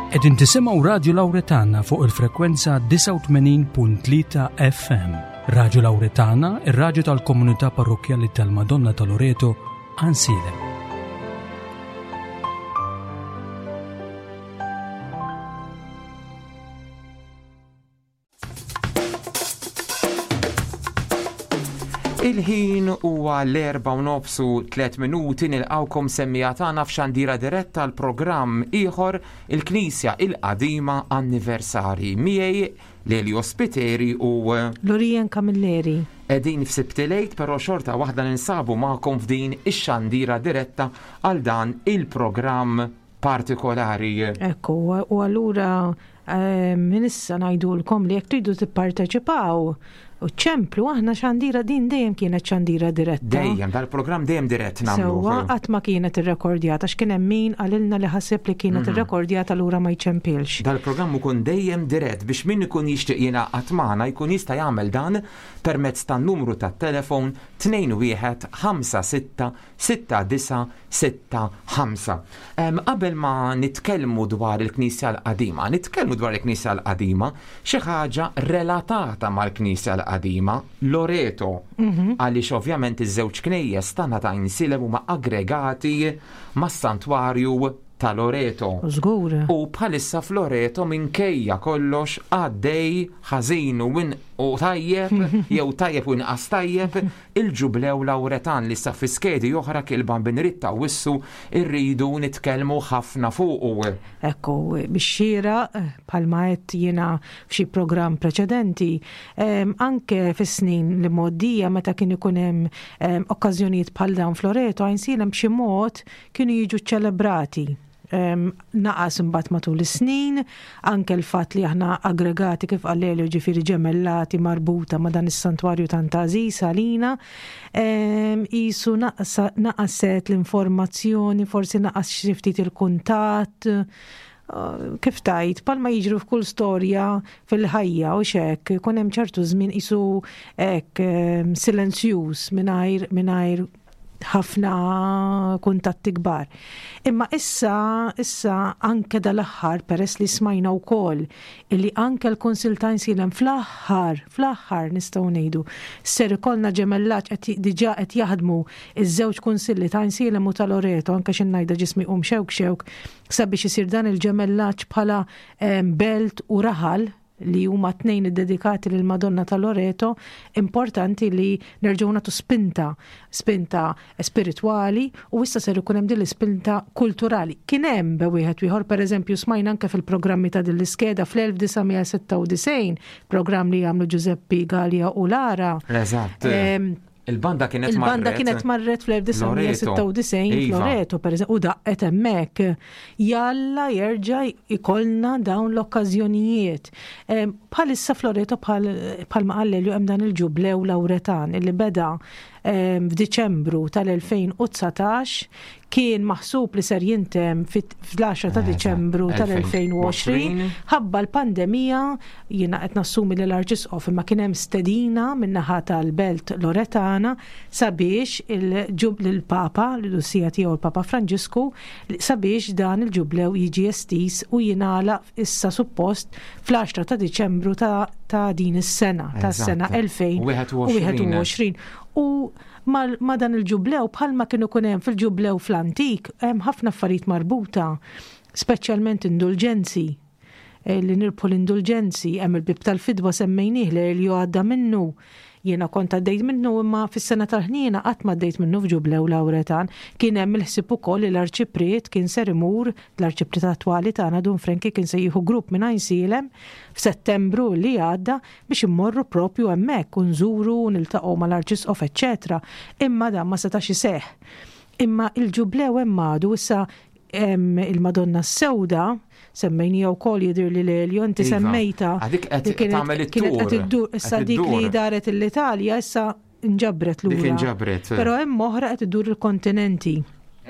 Qegħdin tisimgħu Radju Lawretana fuq il-frekwenza 89.3 FM. Radju Lawretana, ir-radju tal-komunità parrokkjali tal-Madonna ta' Loreto, Ansilem. Il-ħin huwa l-erba' u nofs u tliet minuti nilqawkom semmija tagħna f'xandira diretta l programm ieħor il-Knisja il-Qadima Anniversari. Miegħi Lelio Spiteri u Lorien Camilleri. Qegħdin f'Sibt il-Għid, però xorta waħda ninsabu magħkom f'din ix-xandira diretta għal dan il-programm partikolari. Ekku, u allura eh, minn issa ngħidulkom li jekk tridu tipparteċipaw u ċemplu aħna xandira din dejjem kienet xandira diretta. Dejjem, dal-programm dejjem dirett nagħmlu. Sewwa qatt ma kienet irrekordjata x'kien hemm min qalilna li ħaseb li kienet mhm. irrekordjata lura ma jċempilx. Dal-programm ikun dejjem dirett biex min ikun jixtieq jingħaqad magħna jkun jista' jagħmel dan permezz tan-numru tat-telefon 21 56 6965. Qabel ma nitkellmu dwar il-Knisja l-Qadima, nitkellmu dwar il-Knisja l-Qadima, xi ħaġa relatata mal-Knisja l-Qadima, Loreto, mhm. għaliex ovvjament iż-żewġ knejjes tagħna ta' Insilem huma aggregati mas-santwarju ta' Loreto. Żgur. U bħalissa f'Loreto minkejja kollox għaddej ħażin u u tajjeb jew tajjeb u inqas tajjeb il-Ġublew Lawretan li sa fi skedi oħra kil Bambin Ritta u wissu rridu nitkellmu ħafna fuqu. Ekku, bix-xieraq, bħalma għedt jiena f'xi programm preċedenti, anke fis-snin li mgħoddija meta kien ikun hemm okkażjonijiet bħal dawn f'Loreto, Għajnsielem b'xi mod kienu jiġu ċċelebrati. Naqas imbagħad matul is-snin, anke l-fatt li aħna aggregati kif qal Elio ġifieri ġemellati marbuta ma' dan is-santwarju tant għażiż għalina, qisu naqaset l-informazzjoni, forsi naqas xi ftit il-kuntatt, kif tgħid, bħalma jiġru f'kull storja fil-ħajja u x'hekk, ikun hemm ċertu żmien qisu hekk silenzjuż mingħajr mingħajr ħafna kuntatti kbar. Imma issa, issa anke dal-aħħar peress li smajna wkoll illi anke l-Kunsill ta' Għajnsielem fl-aħħar, fl-aħħar nistgħu ngħidu, ser ikollna ġemellaġġ qed diġà qed jaħdmu iż-żewġ kunsilli ta' Għajnsielem u ta' Loreto anke xi ngħidha ġismi jqum xewk xewk sabiex isir dan il-ġemellaġġ bħala eh, belt u raħal li huma t-tnejn iddedikati lil Madonna ta' Loreto, importanti li nerġgħu nagħtu spinta, spinta spiritwali u issa ser ikun hemm din l-ispinta kulturali. Kien hemm be wieħed ieħor, pereżempju smajna anke fil-programmi ta' din l-iskeda fl-1996, programm li għamlu Giuseppe Gallia u Lara. Eżatt. Il-banda kienet Il-banda kienet marret fl-1996 iva. Loreto, per eżempju, u daqqet hemmhekk. Jalla jerġa' ikollna dawn l-okkażjonijiet. Bħalissa Floreto bħalma qal Elio hemm dan il-ġublew Lawretan illi beda f'Diċembru tal-2019 kien maħsub li ser jintemm fl-10 ta' Diċembru tal-2020 ħabba l-pandemija jiena qed nassumi li l-Arċisqof imma kien hemm stedina min-naħa tal-Belt Loretana sabiex il-Papa, l-Ussija tiegħu l-Papa Franġisku, sabiex dan il-ġublew jiġi estiż u jingħalaq issa suppost fl-10 ta' Diċembru ta' din is-sena, tas-sena 2021. U Ma' dan il-ġublew bħalma kien ikun hemm fil-ġublew fl-antik, hemm ħafna affarijiet marbuta, speċjalment indulġenzi. Eh, li nirbħu l-indulġenzi, hemm il-bib tal-fidwa semmejnieh li Elio għadda minnu. Jiena kont għaddejt minnu imma fis-sena tal-ħniena qatt ma għaddejt minnu f'ġublew Lawretan. Kien hemm il-ħsieb ukoll li l-arċipriet kien ser imur, l-arċipriet attwali tagħna Dun Frenki kien se jieħu grupp minn Għajnsielem f'Settembru li għadda biex immorru propju hemmhekk u nżuru u niltaqgħu mal-Arċisqof eċċetera Imma dan ma setax iseħħ. Imma il-ġublew hemm għadu issa il-Madonna s-Sewda semmejnija wkoll jidhirli l-Elio inti iva. semmejta. Dik qed tagħmel it-tur. Qed iddur issa dik li daret l-Italja issa nġabret lura. Dik inġabret. Però hemm oħra qed iddur il-kontinenti.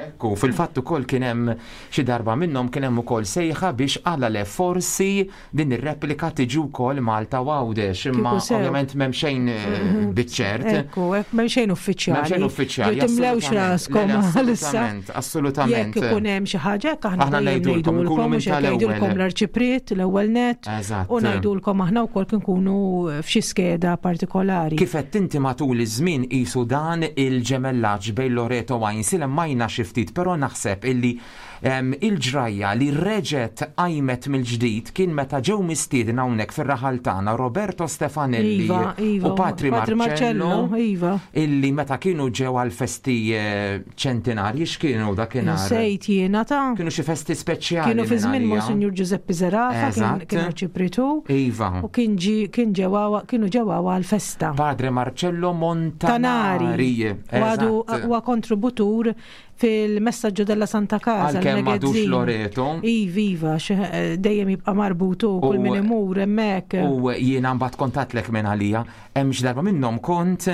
Ekku, fil-fatt ukoll kien hemm xi darba minnhom kien hemm ukoll sejħa biex għala le forsi din ir-replika tiġi wkoll Malta u Għawdex, imma ovvjament m'hemm xejn eh, mhm. biċ-ċert. Ekku, m'hemm xejn uffiċjali. M'hemm xejn uffiċjali. Timlewx raskom għalissa. Assolutament. Jekk ikun hemm xi ħaġa hekk aħna ngħidulkom, nkunu minn tal-ewwel. l-arċipriet l-ewwel net. U ngħidulkom aħna wkoll kien nkunu f'xi skeda partikolari. Kif qed inti matul iż-żmien qisu dan il-ġemellaġġ bejn Loreto u Għajnsielem majna xi ftit, però naħseb illi Il-ġrajja li reġgħet qajmet mill-ġdid kien meta ġew mistiedna hawnhekk fir-raħal tagħna Roberto Stefanelli iva, iva, u Patri Marcello, iva. illi meta kienu ġew għal festi eh, ċentinarji x'kienu dakinhar. Sejt jiena ta' Kienu xi festi speċjali. Kienu fi żmien Monsinjur Giuseppe Zerafa, kien arċipritu. Iva. U kien kien ġewa kienu ġewa għal festa. Padre Marcello Montanari. Għadu huwa kontributur Fil-Messaggio della Santa Casa. Għalkemm m'għadux Loreto. Iva, iva, eh, dejjem jibqa' marbutu kull min imur hemmhekk. U jiena mbagħad kontatlek minn għalija, hemm xi darba minnhom kont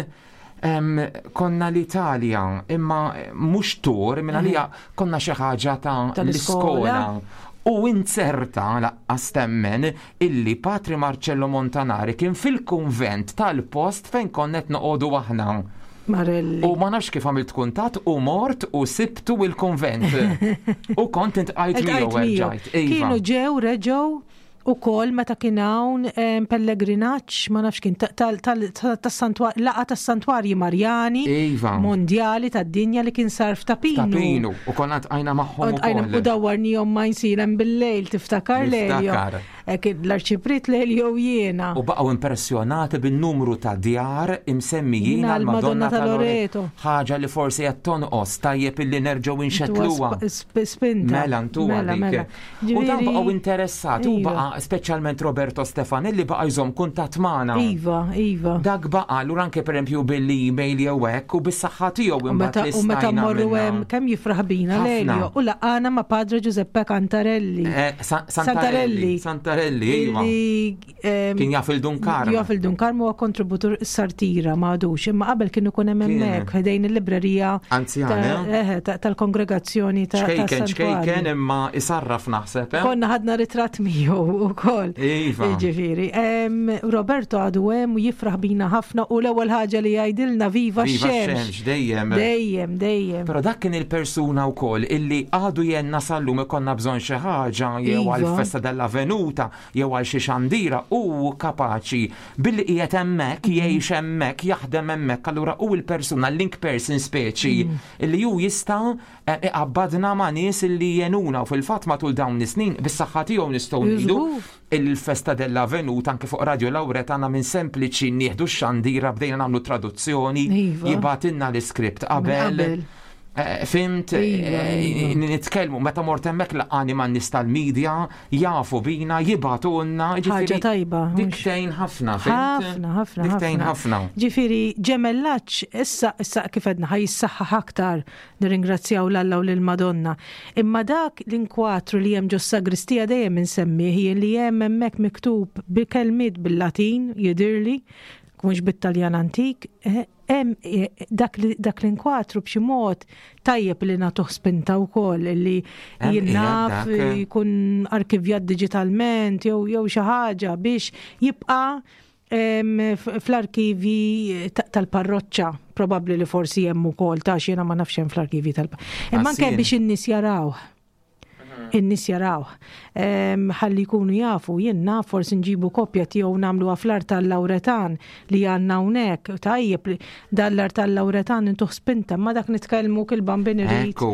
konna l-Italja, imma mhux tur, minn għalija konna xi ħaġa ta' l-iskola. U inzerta laqqas temmen illi Patri Marcello Montanari kien fil-kunvent tal-post fejn konna qed noqogħdu aħna. Marelli. U ma nafx kif għamilt kuntatt u mort u sibtu il-kunvent. U kont intqajt miegħu erġajt. Iva. Kienu ġew reġgħu ukoll meta kien hawn pellegrinaġġ ma nafx kien tas-santwarji laqgħa tas-santwarji Marjani iva. mondjali tad-dinja li kien sar f'Tapinu. Tapinu u konna tqajna magħhom ukoll. U dawwarnihom ma jsilem bil-lejl tiftakar lejl. L-Arċipriet Lelio u jiena. U baqgħu impressjonati bin-numru ta' djar imsemmijin għall-Madonna ta' Loreto. Ħaġa li forsi qed tonqos, tajjeb illi nerġgħu inxettluha. Spinta. Mela ntuha mela, dik. Mela. U dan baqgħu interessati u iva. baqa' speċjalment Roberto Stefanelli baqa' jżomm kuntatt magħna. Iva, iva. Dak baqa' allura anke pereżempju bil-email jew hekk u bis-saħħa tiegħu imbagħad li U meta mmorru hemm kemm jifraħ bina Lelio u laqana ma' Padre Giuseppe Cantarelli. Eh, Santarelli. Santarelli, iva. Kien jaf il-Dun Karm. Jaf il-Dun Karm huwa kontributur sartira ma għadux, imma qabel kien ikun hemm hemmhekk ħdejn il-librerija anzjana eh, tal-kongregazzjoni ta' Ċkejken, ċkejken imma isarraf naħseb. Eh? Konna ħadna ritratt miegħu wkoll. Iva. Ġifieri. Roberto għadu hemm u jifraħ bina ħafna u l-ewwel ħaġa li jgħidilna viva x-xemx. Dejjem. Dejjem, dejjem. Però dak kien il-persuna wkoll illi għadu jenna sal-lum ikonna bżonn xi ħaġa jew iva. għall-festa dell-avvenuta jew għal xi xandira hu kapaċi billi qiegħed hemmhekk, mhm. jgħix hemmhekk, jaħdem hemmhekk, allura hu l-persuna, link person speċi mhm. illi hu jista' eh, iqabbadna ma' nies illi jenuna u fil-fatt matul dawn is-snin bis-saħħa tiegħu nistgħu ngħidu il-festa della venuta anke fuq Radio Lauretana minn sempliċi nieħdu x-xandira bdejna nagħmlu traduzzjoni, iva. jibatilna l-iskript qabel. Eh, fimt, Iva, eh, iva. nitkellmu, meta mort hemmhekk laqani man nies tal-medja, jafu bina, jibatulna. Ħaġa tajba. Diktejn ħafna, fimt? Ħafna, ħafna. Diktejn ħafna. Ġifieri, ġemellaġġ, issa, issa kif għedna ħaj jissaħħaħ aktar, nirringrazzjaw l-Alla u lill-Madonna. Imma dak l-inkwatru li hemm ġos-sagristija dejjem insemmih jien li hemm hemmhekk miktub bi kelmiet bil-Latin, jidhirli, mhux bit-Taljan antik, eh, Hemm dak dak l-inkwatru b'xi mod tajjeb li nagħtuh spinta wkoll li jien naf jkun arkivjat diġitalment jew jew xi ħaġa biex jibqa' fl-arkivji tal-parroċċa, probabbli li forsi hemm ukoll ta' jiena ma nafx hemm fl-arkivji tal Imma anke biex in-nies jarawh. In-nies jarawh. Ħalli jkunu jafu, jien naf forsi nġibu kopja tiegħu nagħmluha fl-art tal-Lawretan li għandna hawnhekk. Tajjeb dan l-art tal-Lawretan intuh spinta, ma dak nitkellmu kil bambin irid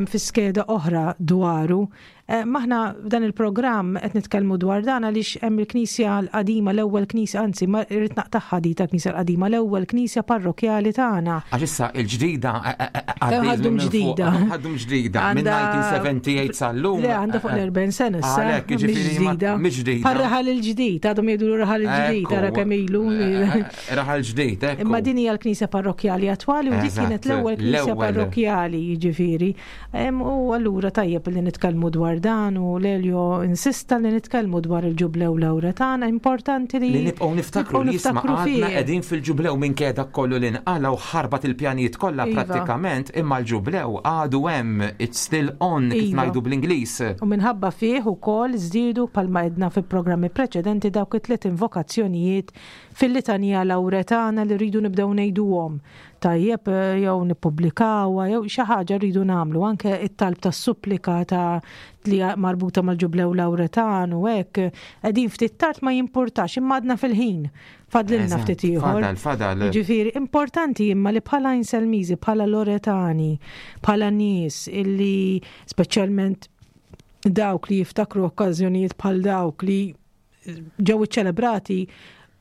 fi skeda oħra dwaru. Eh, maħna f'dan il-programm qed nitkellmu dwar dan għaliex hemm il-Knisja l-qadima, l-ewwel Knisja, anzi, ma rrid naqtagħha di tal-Knisja l-qadima, l-ewwel Knisja parrokjali tagħna. Għax issa il-ġdida eh, eh, għaddum ġdida. Għaddum ġdida minn 1978 sal-lum. Le għandha fuq l-40 sena issa. Għalhekk jiġifieri ġdida. Mhix ġdida. Bħal raħal il-ġdid, għadhom jgħidu raħal il-ġdid, ara kemm ilu. Raħal ġdid, ekku. Imma din hija l-Knisja parrokjali attwali u dik kienet l-ewwel Knisja parrokjali, jiġifieri. U allura tajjeb li nitkellmu dwar dwar dan u Lelio insista li nitkellmu dwar il-ġublew Lawretana, importanti li Li nibqgħu niftakru li jisma' għadna qegħdin fil-ġublew minkejja dak kollu li nqala' u ħarbat il-pjanijiet kollha Iva. prattikament imma l-ġublew għadu hemm, it's still on kif Iva. ngħidu bl-Ingliż. U minħabba fih ukoll żdiedu bħalma għedna fi programmi preċedenti dawk it-tliet invokazzjonijiet fil-litanija Lawretana li rridu nibdew ngħiduhom. Tajjeb jew nippubblikawha jew xi ħaġa rridu nagħmlu anke it-talb tas-supplika ta' li marbuta mal-ġublew Lawretan u hekk qegħdin ftit tard ma jimpurtax imma għadna fil-ħin. Fadlilna Eżatt, ftit ieħor. Fadal, fadal. Ġifieri, importanti imma li bħala Inselmiżi, bħala Loretani, bħala nies illi speċjalment dawk li jiftakru okkażjonijiet bħal dawk li ġew iċċelebrati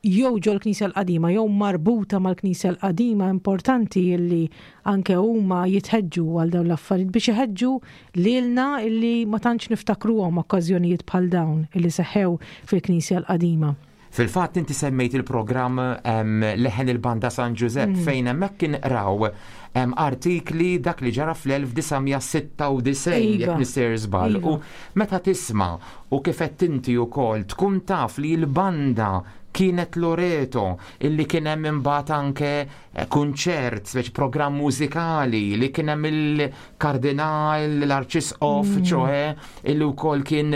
jew ġol knisja l-qadima jew marbuta mal-knisja l-qadima importanti illi anke huma jitħeġġu għal dawn l-affarijiet biex iħeġġu lilna illi ma tantx niftakruhom okkażjonijiet bħal dawn illi seħħew fil-knisja l-qadima. Fil-fatt inti semmejt il-programm Leħen il-Banda San Ġużepp fejn hemmhekk kien qraw artikli dak li ġara fl-1996 jekk Iva. nisir żball. Iva. U meta tisma' u kif qed inti wkoll tkun taf li l-banda kienet Loreto illi kien hemm imbagħad anke kunċert, speċi programm mużikali li kien hemm il-kardinal, l-arċisqof, ċoħe, illi wkoll kien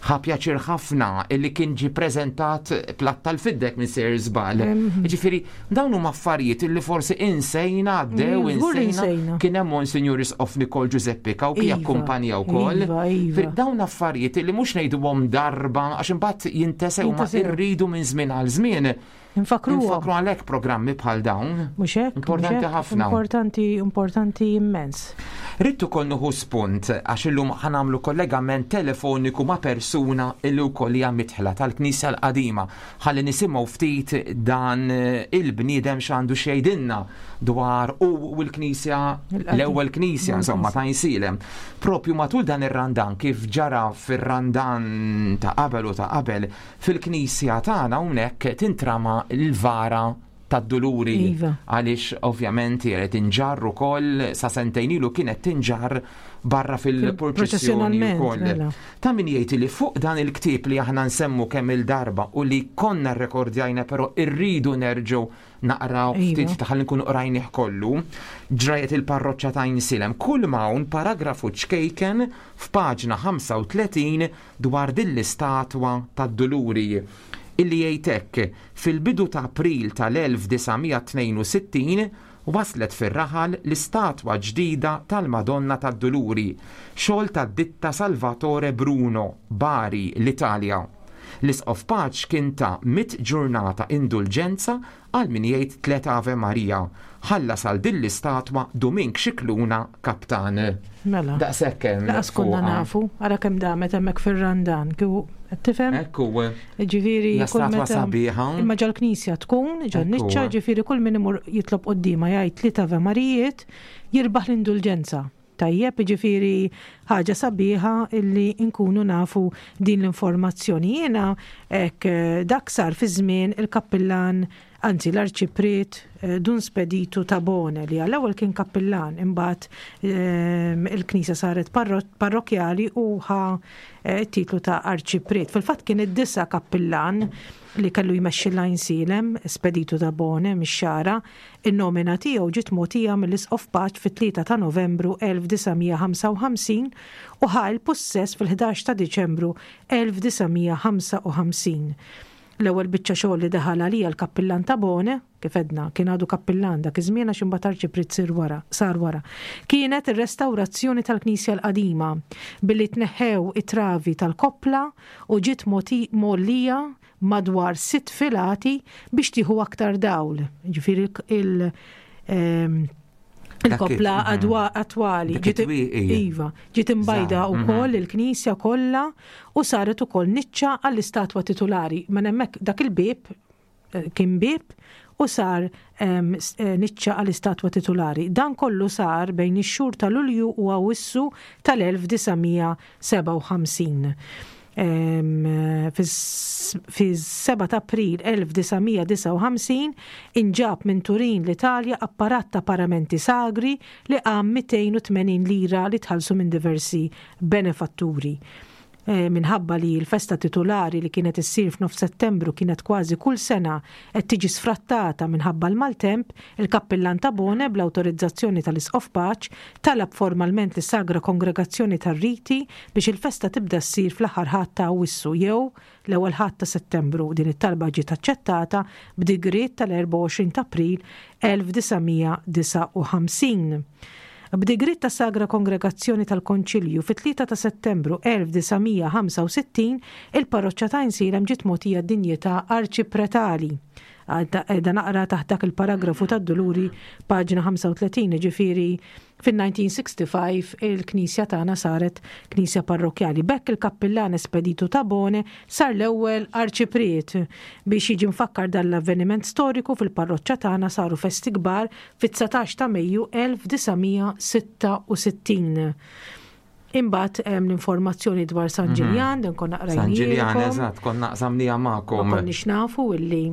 ħa pjaċir ħafna illi kien ġi preżentat platt tal-fiddek minn Sir Żball. Ġifieri dawn huma affarijiet illi forsi insejna għaddew Żgur li insejna insejna. kien hemm Monsignor Isqof Nikol Giuseppe Cauchi Iva, akkumpanja wkoll. iva, iva. Ġifieri, Dawn affarijiet illi mhux ngħiduhom darba għax imbagħad jintesew ma Jintesew. irridu minn żmien għal żmien. Infakruhom. Infakru għalhekk programmi bħal dawn. Mhux hekk? mhux Importanti hekk? ħafna. Importanti, importanti immens. Rrid ukoll nieħu spunt għax illum ħanamlu kollegament telefoniku ma' persuna illi wkoll hija mitħla tal-Knisja l-Qadima. Ħalli nisimgħu ftit dan il-bniedem x'għandu xejdinna dwar u l-Knisja Il-qadim. l-ewwel Knisja insomma ta' Insilem. Propju matul dan ir-Randan kif ġara fir-Randan ta' qabel u ta' qabel fil-Knisja tagħna hawnhekk tintrama l-vara tad-duluri Iva. għaliex ovvjament qed tinġarr ukoll sa sentejn ilu kienet tinġarr barra fil-purċissjoni Fil-proċessjonalment, wkoll. mela. Ta' min jgħid li fuq dan il-ktieb li aħna nsemmu kemm il-darba u li konna rrekordjajna però irridu nerġgħu naqraw Iva. ftit ta' ħalli nkunu qrajnih kollu, ġrajet il-parroċċa ta' Insilem. Kull hawn paragrafu ċkejken f'paġna 35 dwar din l-istatwa tad-Duluri illi jgħid hekk fil-bidu ta' April tal-1962 waslet fir-raħal l-istatwa ġdida tal-Madonna tad-Duluri, xogħol tad-ditta Salvatore Bruno, Bari, l-Italja. L-Isqof Paċ kien ta' mit ġurnata indulġenza għal min jgħid tlet Ave Maria. Ħallas għal din l-istatwa Dumink Xikluna kaptan. Mela. Daqshekk hemm Laqas konna fuqha. nafu, ara kemm damet hemmhekk fir-Randan, kieku qed tifhem? Ekku, Ġifieri Hija kull statwa meta- sabiħa. Imma ġol-knisja tkun, ġol-niċċa, Ekku. ġifieri kull min imur jitlob quddiema jgħid li Ave Marijiet jirbaħ l-indulġenza. Tajjeb, ġifieri ħaġa sabiħa illi nkunu nafu din l-informazzjoni. Jiena hekk dak sar fi żmien il-kappillan, anzi l-arċipriet Dun Speditu Tabone li għall-ewwel kien kappillan, imbagħad il-knisja saret parrokjali u ħa titlu ta' arċipriet. Fil-fatt kien id-disa kappillan li kellu jmexxi l-Għajnsielem, Speditu Tabone mix-Xagħra, in-nomina tiegħu ġiet mogħtija mill-Isqof Paċ fit-3 ta' Novembru 1955 u ħa l-pussess fil-11 ta' Diċembru 1955. L-ewwel biċċa xogħol li daħal għalija l-kappillan Tabone, kif edna, kien għadu kappillan dak iż-żmien għax imbagħad arċipriet sir wara, sar wara. Kienet ir-restawrazzjoni tal-Knisja l-qadima billi tneħħew it-travi tal-koppla u ġiet mgħollija madwar 6 filati biex tieħu aktar dawl. Ġifieri il-koppla attwali. Dak Ġiet it-twieqi. Iva, ġiet imbajda Żgħar, wkoll il-knisja kollha u saret ukoll niċċa għall-istatwa titulari. Ma hemmhekk dak il-bieb kien bieb u sar niċċa għall-istatwa titulari. Dan kollu sar bejn ix-xhur ta' Lulju u Awwissu tal-1957. Fis-7 ta' April 1959 inġab minn Turin l-Italja apparat ta' paramenti sagri li qam 280 lira li tħallsu minn diversi benefatturi. Minħabba li l-festa titulari li kienet issir f'nofs Settembru kienet kważi kull sena qed tiġi sfrattata minħabba l-maltemp, il-Kappillan Tabone, bl-awtorizzazzjoni tal-Isqof Pace, talab formalment lis-Sagra Kongregazzjoni tar-Riti biex il-festa tibda ssir fl-aħħar Ħadd ta' Awwissu jew l-ewwel Ħadd ta' Settembru. Din it-talba ġiet aċċettata b'digriet tal-24 ta' April 1959. B'digriet tas-Sagra Kongregazzjoni tal-Konċilju fit-3 ta' Settembru 1965, il-parroċċa ta' Għajnsielem ġiet mogħtija d-dinjità arċipretali. Qiegħda naqra taħt dak il-paragrafu tad-Duluri paġna 35, jiġifieri fin-1965 il-knisja tagħna saret knisja parrokkjali. B'hekk il-kappillan Espedito Tabone sar l-ewwel arċipriet. Biex jiġi mfakkar dan l-avveniment storiku fil-parroċċa tagħna saru festi kbar fit-19 ta' Mejju 1966. Imbagħad hemm l-informazzjoni dwar San mhm. Ġiljan, dan konna qrajna. San Ġiljan, eżatt, konna qsamnija magħkom. Ma konniex nafu illi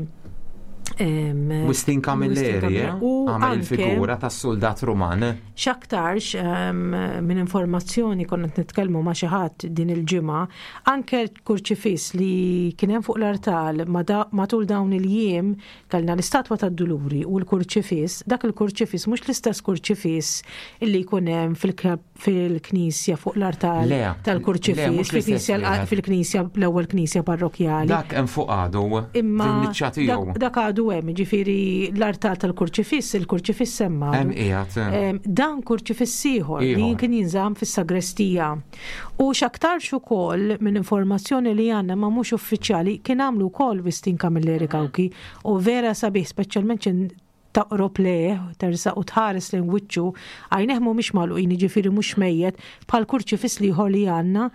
Wistin Camilleri, eh? u għamel il-figura tas soldat Ruman. X'aktarx minn informazzjoni konna nitkellmu ma' xi ħadd din il-ġimgħa, anke l-kurċifiss li kien hemm fuq l-artal matul dawn il-jiem kellna l-istatwa tad-Duluri u l-kurċifiss, dak il-kurċifiss mhux l-istess kurċifiss illi jkun hemm fil-knisja fuq l-artal tal-kurċifiss, fil-knisja l-ewwel knisja parrokjali. Dak hemm fuq għadu. Imma dak għadu hemm, ġifieri l-artal tal-kurċifiss, il-kurċifiss hemm Hemm qiegħed. Dan kurċifiss ieħor li kien jinżamm fis-sagrestija. U x'aktarx ukoll minn informazzjoni li għandna ma mhux uffiċjali kien għamlu wkoll Wistin Camilleri Cauchi u vera sabiħ speċjalment taqrob lejh, tersaq u tħares lejn wiċċu, għajnejh mhumiex magħluqin, jiġifieri mhux mejjet, bħal kurċifiss l-ieħor li għandna,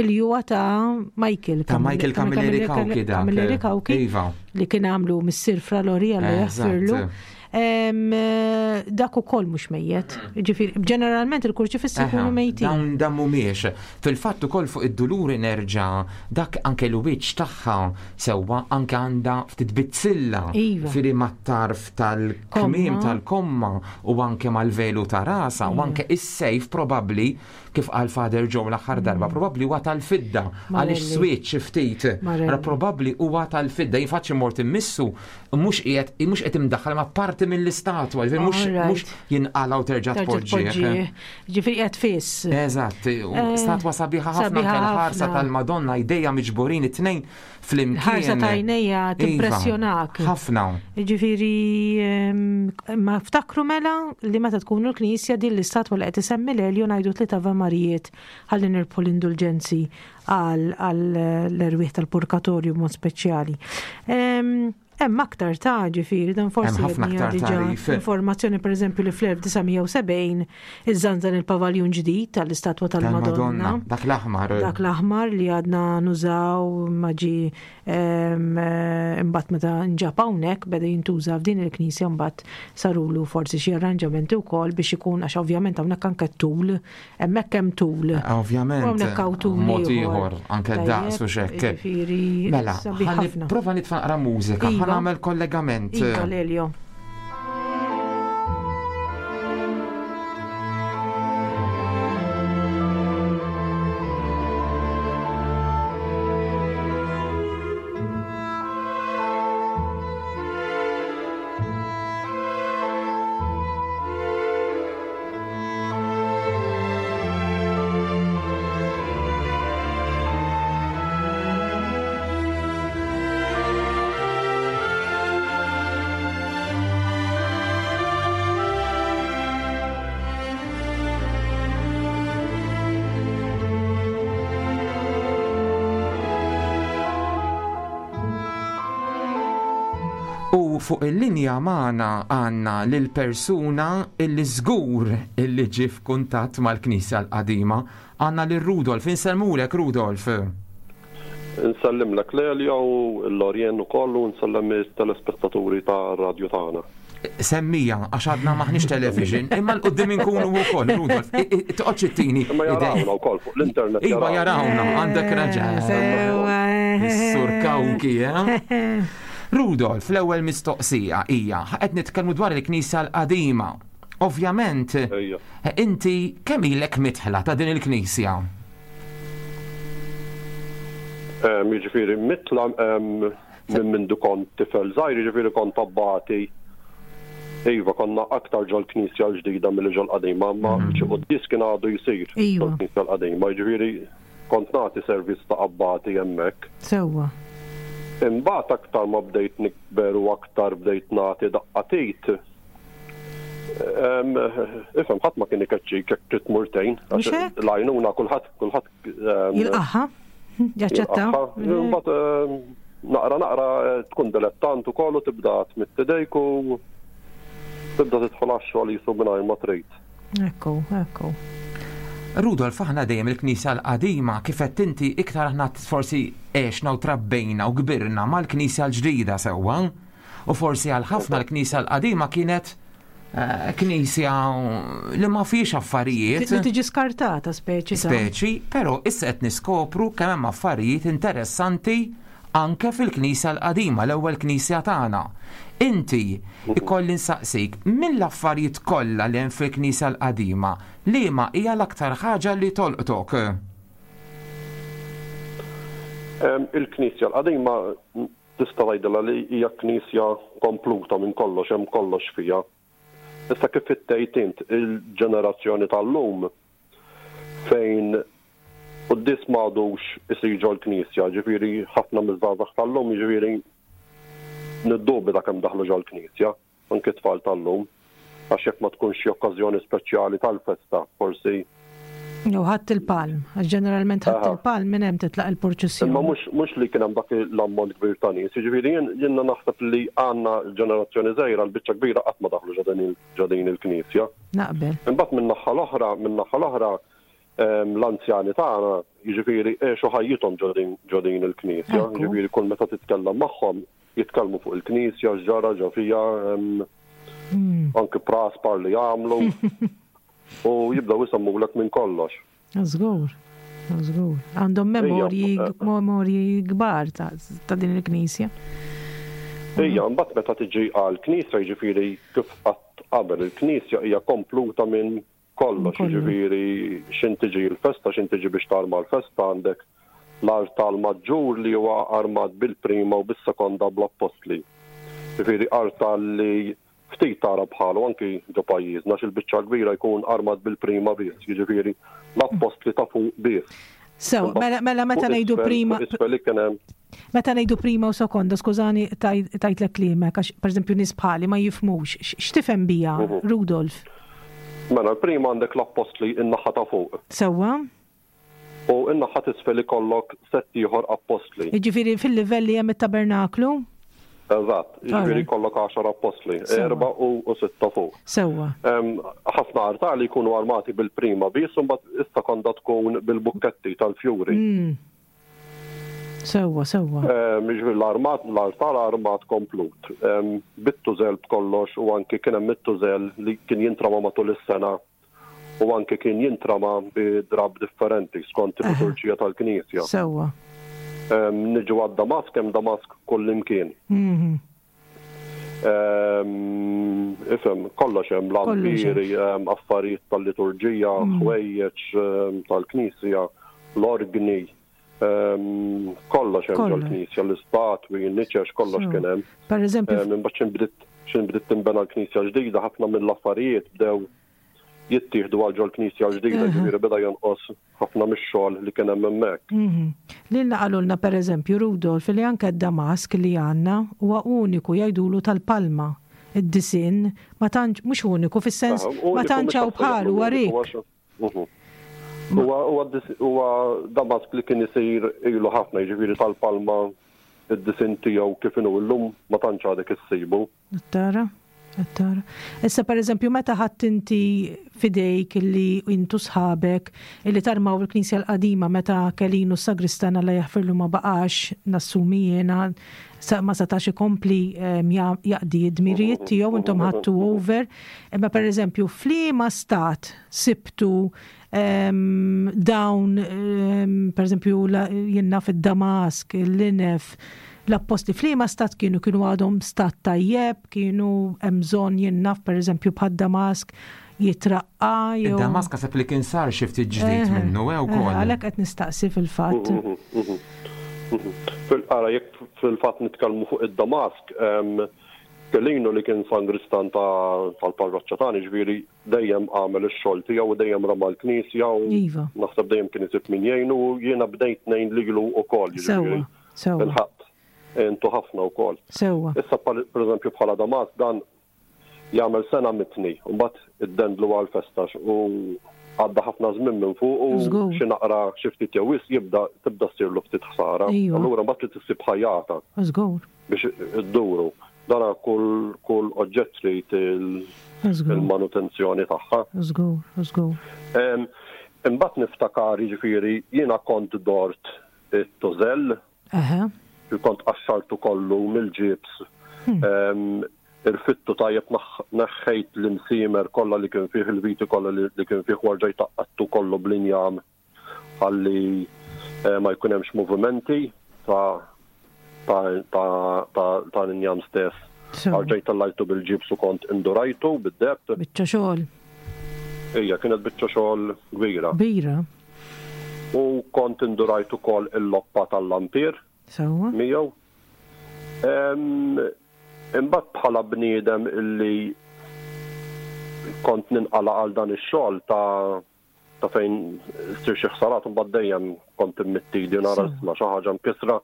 li huwa ta' Michael. Ta' Michael Camilleri Cauchi dak. Camilleri Cauchi. Iva. Li kien għamlu missier Fra Lori Alla jaħfirlu. Dak ukoll mhux mejjet. Ġifieri, ġeneralment il-kurċifissi jkunu mejtin. Dawn dan mhumiex. Fil-fatt ukoll fuq id-duluri nerġa' dak anke l-wiċċ tagħha sewwa anke għandha ftit bizzilla. Iva. Firri mat-tarf tal-kmiem tal-komma u anke mal-velu ta' rasa u iva. anke is-sejf probabbli kif qal Father Joe l-aħħar darba mm. probabbli huwa tal-fidda għaliex switch ftit. Probabbli huwa tal-fidda jinfaċċi mort immissu mhux qiegħed mhux qed imdaħħal ma parti mill-istatwa, ġifieri mhux mhux jinqala u terġa' tpoġġih. Ġifieri qiegħed fiss. Eżatt, eh, statwa sabiħa ħafna ħarsa tal-Madonna jdejja miġburin it-tnejn flimkien. Ħarsa ta' għajnejja iva, timpressjonak. Ħafna. Ġifieri ehm, ma ftakru mela li meta tkunu l-Knisja din l-istatwa li qed isemmi l-Elju ngħidu tliet Ave Marijiet ħalli nirbħu l-indulġenzi għal l-erwieħ tal-purkatorju b'mod speċjali. Hemm aktar ta' ġifieri dan forsi ħafna aktar tagħrif. Informazzjoni pereżempju li fl-1970 iżżanżan il-pavaljun ġdid tal-istatwa tal-Madonna. Dak l-aħmar. Dak l-aħmar li għadna nużaw ma ġi imbagħad meta nġab hawnhekk beda jintuża f'din il-knisja mbagħad sarulu forsi xi arranġamenti wkoll biex ikun għax ovvjament hawnhekk anke tul Hemmhekk hemm tul. Eh, ovvjament. Hawnhekk hawn tul. Mod ieħor, anke daqs u xekk. Mela, prova nitfa' naqra mużika, ħa iva. nagħmel kollegament. Iva, Lelio. U fuq il-linja magħna għandna lil persuna illi żgur illi ġie f'kuntatt mal-Knisja l-Qadima. Għandna lil Rudolf. Insellmulek Rudolf. Insellimlek Lelja u l-Lorien ukoll u nsellem it-telespettaturi tar-radju tagħna. Semmija, għax għadna maħniex television, imma l-qoddim inkunu wkoll, Rudolf, toqgħodx ittini. Imma jarawna wkoll fuq l-internet. Iva jarawna, għandek raġun. Sur Kawki, eh? Rudolf, l-ewwel mistoqsija hija, qed nitkellmu dwar il-Knisja l-qadima. Ovvjament, inti kemm ilek mitħla ta' din il-Knisja? Jiġifieri mitla minn mindu kont tifel żgħir, jiġifieri kont abbati. Iva, konna aktar ġol-Knisja l-ġdida milli ġol-qadima, imma xi quddies kien għadu jsir ġol-Knisja l-qadima, jiġifieri kont nagħti servizz ta' abbati hemmhekk. Sewwa. Imbagħad aktar ma bdejt nikber u aktar bdejt nagħti daqqa t'id, ifhem ħadd ma kien ikeċċik jekk trid tmur tgħin. Mhux hekk? L-għajnuna kulħadd kulħadd Jilqaħħa, jaċċetta. Mbagħad naqra naqra tkun dilettant ukoll u tibda tmidd idejk u tibda tidħol għax-xogħol jisu mingħajr ma trid. Ekku, ekku. Rudolf, aħna dejjem il-Knisja l-qadima kif qed inti iktar aħna forsi għexna u trabbejna u kbirna mal-Knisja l-ġdida sewwa. U forsi għal ħafna l-Knisja l-qadima kienet eh, knisja li ma fiex affarijiet. Li tiġi skartata speċi. Speċi, però issa qed niskopru kemm hemm affarijiet interessanti anke fil-knisja l-qadima, l-ewwel knisja tagħna. Inti ikolli nsaqsik mill-affarijiet kollha li hemm fil-knisja l-qadima, liema hija l-aktar ħaġa li tolqtok? Il-knisja l-qadima Tista' tgħidilha li hija knisja kompluta minn kollox, hemm kollox fiha. Issa kif tgħid int, il-ġenerazzjoni tal-lum fejn quddies m'għadux isir ġol-knisja, ġifieri ħafna miż-żgħażagħ tal-lum jiġifieri niddubita kemm daħlu ġol-knisja. anki t-tfal tal-lum, għax jekk ma tkunx xi okkażjoni speċjali tal-festa, forsi. Jew Ħadd il-Palm, għax ġeneralment Ħadd il-Palm minn hemm titlaq il-purċissjoni. Imma mhux mhux li kien hemm dak l-ammont kbir ta' nies, jiġifieri jien jiena naħseb li għandna l-ġenerazzjoni żgħira l-biċċa kbira qatt ma daħlu ġo din il-knisja. Naqbel. Imbagħad min-naħa l-oħra, min-naħa l-oħra, l-anzjani tagħna, jiġifieri għexu ħajjithom ġo din il-knisja, jiġifieri kull meta titkellem magħhom Jitkellmu fuq il-knisja, x'ġara ġo fiha, hmm. anki praspar li jagħmlu. U jibdew isemmulek minn kollox. Żgur, żgur. Għandhom memorji, memorji kbar ta' din il-knisja. Ija, mbagħad meta tiġi għal knisja jiġifieri kif qatt qabel il-knisja hija kompluta minn Kollox, jiġifieri x'in tiġi l-festa, x'in tiġi biex tarma l-festa għandek l-artal maġġur li huwa armat bil-prima u bis-sekonda bl-appostli. Jiġifieri artal li ftit tara bħalu anki ġo pajjiżna għax il-biċċa l-kbira jkun armat bil-prima biss, jiġifieri l-appostli ta' fuq biss. Sew, mela, mela meta ngħidu prima. Meta ngħidu prima u sekonda, skużani tajtlek kliemek, għax pereżempju nies bħali ma jifhmux. X'tifhem bija, mhm. Rudolf? Mela, l-prima għandek l-appostli in-naħa ta' fuq. Sewwa. U in-naħa t'isfel ikollok sett ieħor appostli. Jiġifieri fil-livell li hemm it-tabernaklu? Eżatt, jiġifieri jkollok għaxar appostli, erba' u sitta fuq. Sewwa. Ħafna artali jkunu armati bil-prima biss u mbagħad is-sekonda tkun bil-bukketti tal-fjuri. Mm. Sewwa, sewwa. Jiġifieri l-armat, l-artal armat komplut. Bit-tużell b'kollox u anki kien hemm it-tużell li kien jintrama matul is-sena u anke kien jintrama bi drapp differenti skont il-liturġija tal-Knisja. Sewwa. Niġu għad-damask, hemm damask kullimkien. Mhm. Ifhem, kollox hemm lampieri, affarijiet tal-liturġija, mm. ħwejjeġ tal-Knisja, l-orgni, kollox hemm ġol-Knisja, l-istatwi, n-niċex, kollox kien hemm. Per eżempju. Imbagħad x'in bdiet tinbena l-Knisja ġdida, ħafna mill-affarijiet bdew jittieħdu għal ġol-knisja l-ġdida, ġifieri beda jonqos ħafna mix-xogħol li kien hemm hemmhekk. Mhm. Lilna qalulna pereżempju Rudolf li anke d-damask li għandna huwa uniku jgħidulu tal-palma. Id-disinn ma tantx mhux uniku fis-sens ma tantx hawn bħalu huwa rik. Mhm. Huwa damask li kien isir ilu ħafna, jiġifieri tal-palma id-disinn tiegħu kif inhu llum ma tantx għadek issibu. Tara? Qed tara. Issa pereżempju meta ħadt inti f'idejk illi intu sħabek illi tarmaw il-Knisja l-qadima meta Kelinu s-sagristan Alla jaħfirlu ma baqax nassumi jiena ma setax ikompli jaqdi d-dmirijiet tiegħu intom ħadtu over. Imma pereżempju f'liema stat sibtu dawn pereżempju jien naf id-Damask, il-Linef, l-appostli f'liema stat kienu kienu għadhom stat tajjeb, kienu hemm bżonn jien naf pereżempju bħad-Damask jitraqqa jew. Id-Damask naħseb li kien sar xi ftit ġdid minnu eh wkoll. Għalhekk qed nistaqsi fil-fatt. Ara jekk fil-fatt nitkellmu fuq id-Damask, Kelinu li kien sangristan tal-parroċċa tagħna, jiġifieri dejjem għamel ix-xogħol tiegħu u dejjem rama l-knisja u iva. naħseb dejjem kien isib min jgħinu u jiena bdejt ngħin lilu wkoll. Sewwa, sewwa. Il-ħadd intu ħafna wkoll. Sewwa. Issa pereżempju bħala Damas dan jagħmel sena mitni u mbagħad iddendlu għal festa u għadda ħafna żmien minn fuq u xi naqra xi ftit jew wisq jibda tibda ssirlu ftit ħsara. Iva. Allura mbagħad trid issib ħajjata. Żgur. Biex idduru. Dana kull kull oġġett trid il-manutenzjoni tagħha. Żgur, żgur. Imbagħad niftakar jiġifieri jiena kont dort it-tużell. Kont qaxxartu kollu mill-ġibs. Hmm. Irfittu tajjeb neħħejt l-imsiemer kollha li kien fih il-viti kollha li kien fih warġajt taqqattu kollu bl-injam ħalli ma jkun hemmx movimenti ta' ta' ta' l-injam stess. Erġajt tellajtu bil-ġibs u kont indurajtu bid-deheb. Biċċa xogħol. Ija, kienet biċċa xogħol kbira. Kbira. U kont indurajt ukoll il-loppa tal-lampier. Sewwa. Miegħu. Imbagħad bħala bniedem illi kont ninqala' għal dan ix-xogħol ta' ta' fejn ssir xi ħsarat imbagħad dejjem kont immitt idi u nara isma' xi ħaġa mkissra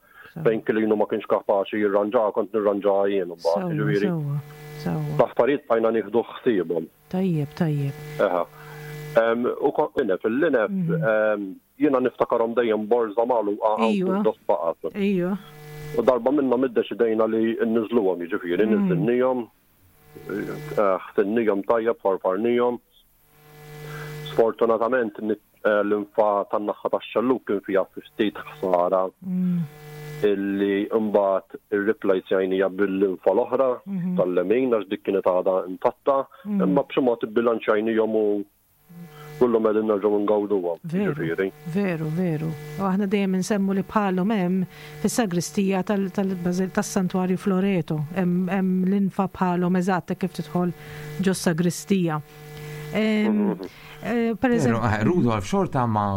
fejn Kilinu ma kienx kapaċi jirranġaha kont nirranġaha jien imbagħad. Jiġifieri l-affarijiet bqajna nieħdu ħsiebhom. Tajjeb, tajjeb. Eħe. U linef, il-linef mhm. jiena niftakarhom dejjem borża magħluqa hawn dos faqas. Ejju. U darba minnhom iddeċidejna li nniżluhom, jiġifieri mhm. niżilnihom, eh, ħsinnihom tajjeb, farfarnihom. Sfortunatament l-infa tan-naħa tax-xellug kien fiha ftit ħsara illi mbagħad irriplejsjajnija bil-linfa l-oħra mhm. tal-lemin għax dik kienet għadha intatta, mhm. imma b'xi mod ibbilanċjajnihom u kullhom qegħdin nerġgħu ngawduhom. Veru, veru, veru. U aħna dejjem insemmu li bħalhom hemm fis-sagristija tas-Santwarju Floreto, hemm l-infa bħalhom eżatt kif tidħol ġos-sagristija. Eh, per eżempju. Eh, Rudolf, xorta ma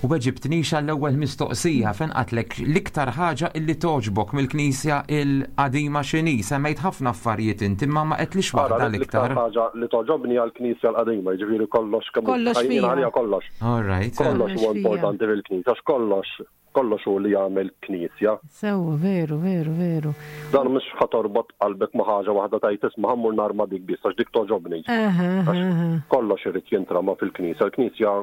u weġibtnix għall-ewwel mistoqsija fejn qatlek l-iktar ħaġa illi toġbok mill-Knisja il-qadima x'inhi. Semmejt ħafna affarijiet inti imma ma qedlix waħda l-iktar. L-iktar ħaġa li toġobni għall-Knisja l-qadima, jiġifieri kollox kemm kollox fiha. Kollox. All right. Kollox huwa importanti fil-Knisja, għax kollox Kollox hu li jagħmel knisja. Sewwa, veru, veru, veru. Dan mhux ħa torbot qalbek ma' ħaġa waħda tgħid isma' ħa mmur narma dik biss għax dik togħġobni. Kollox irid jintrama fil-knisja. Il-knisja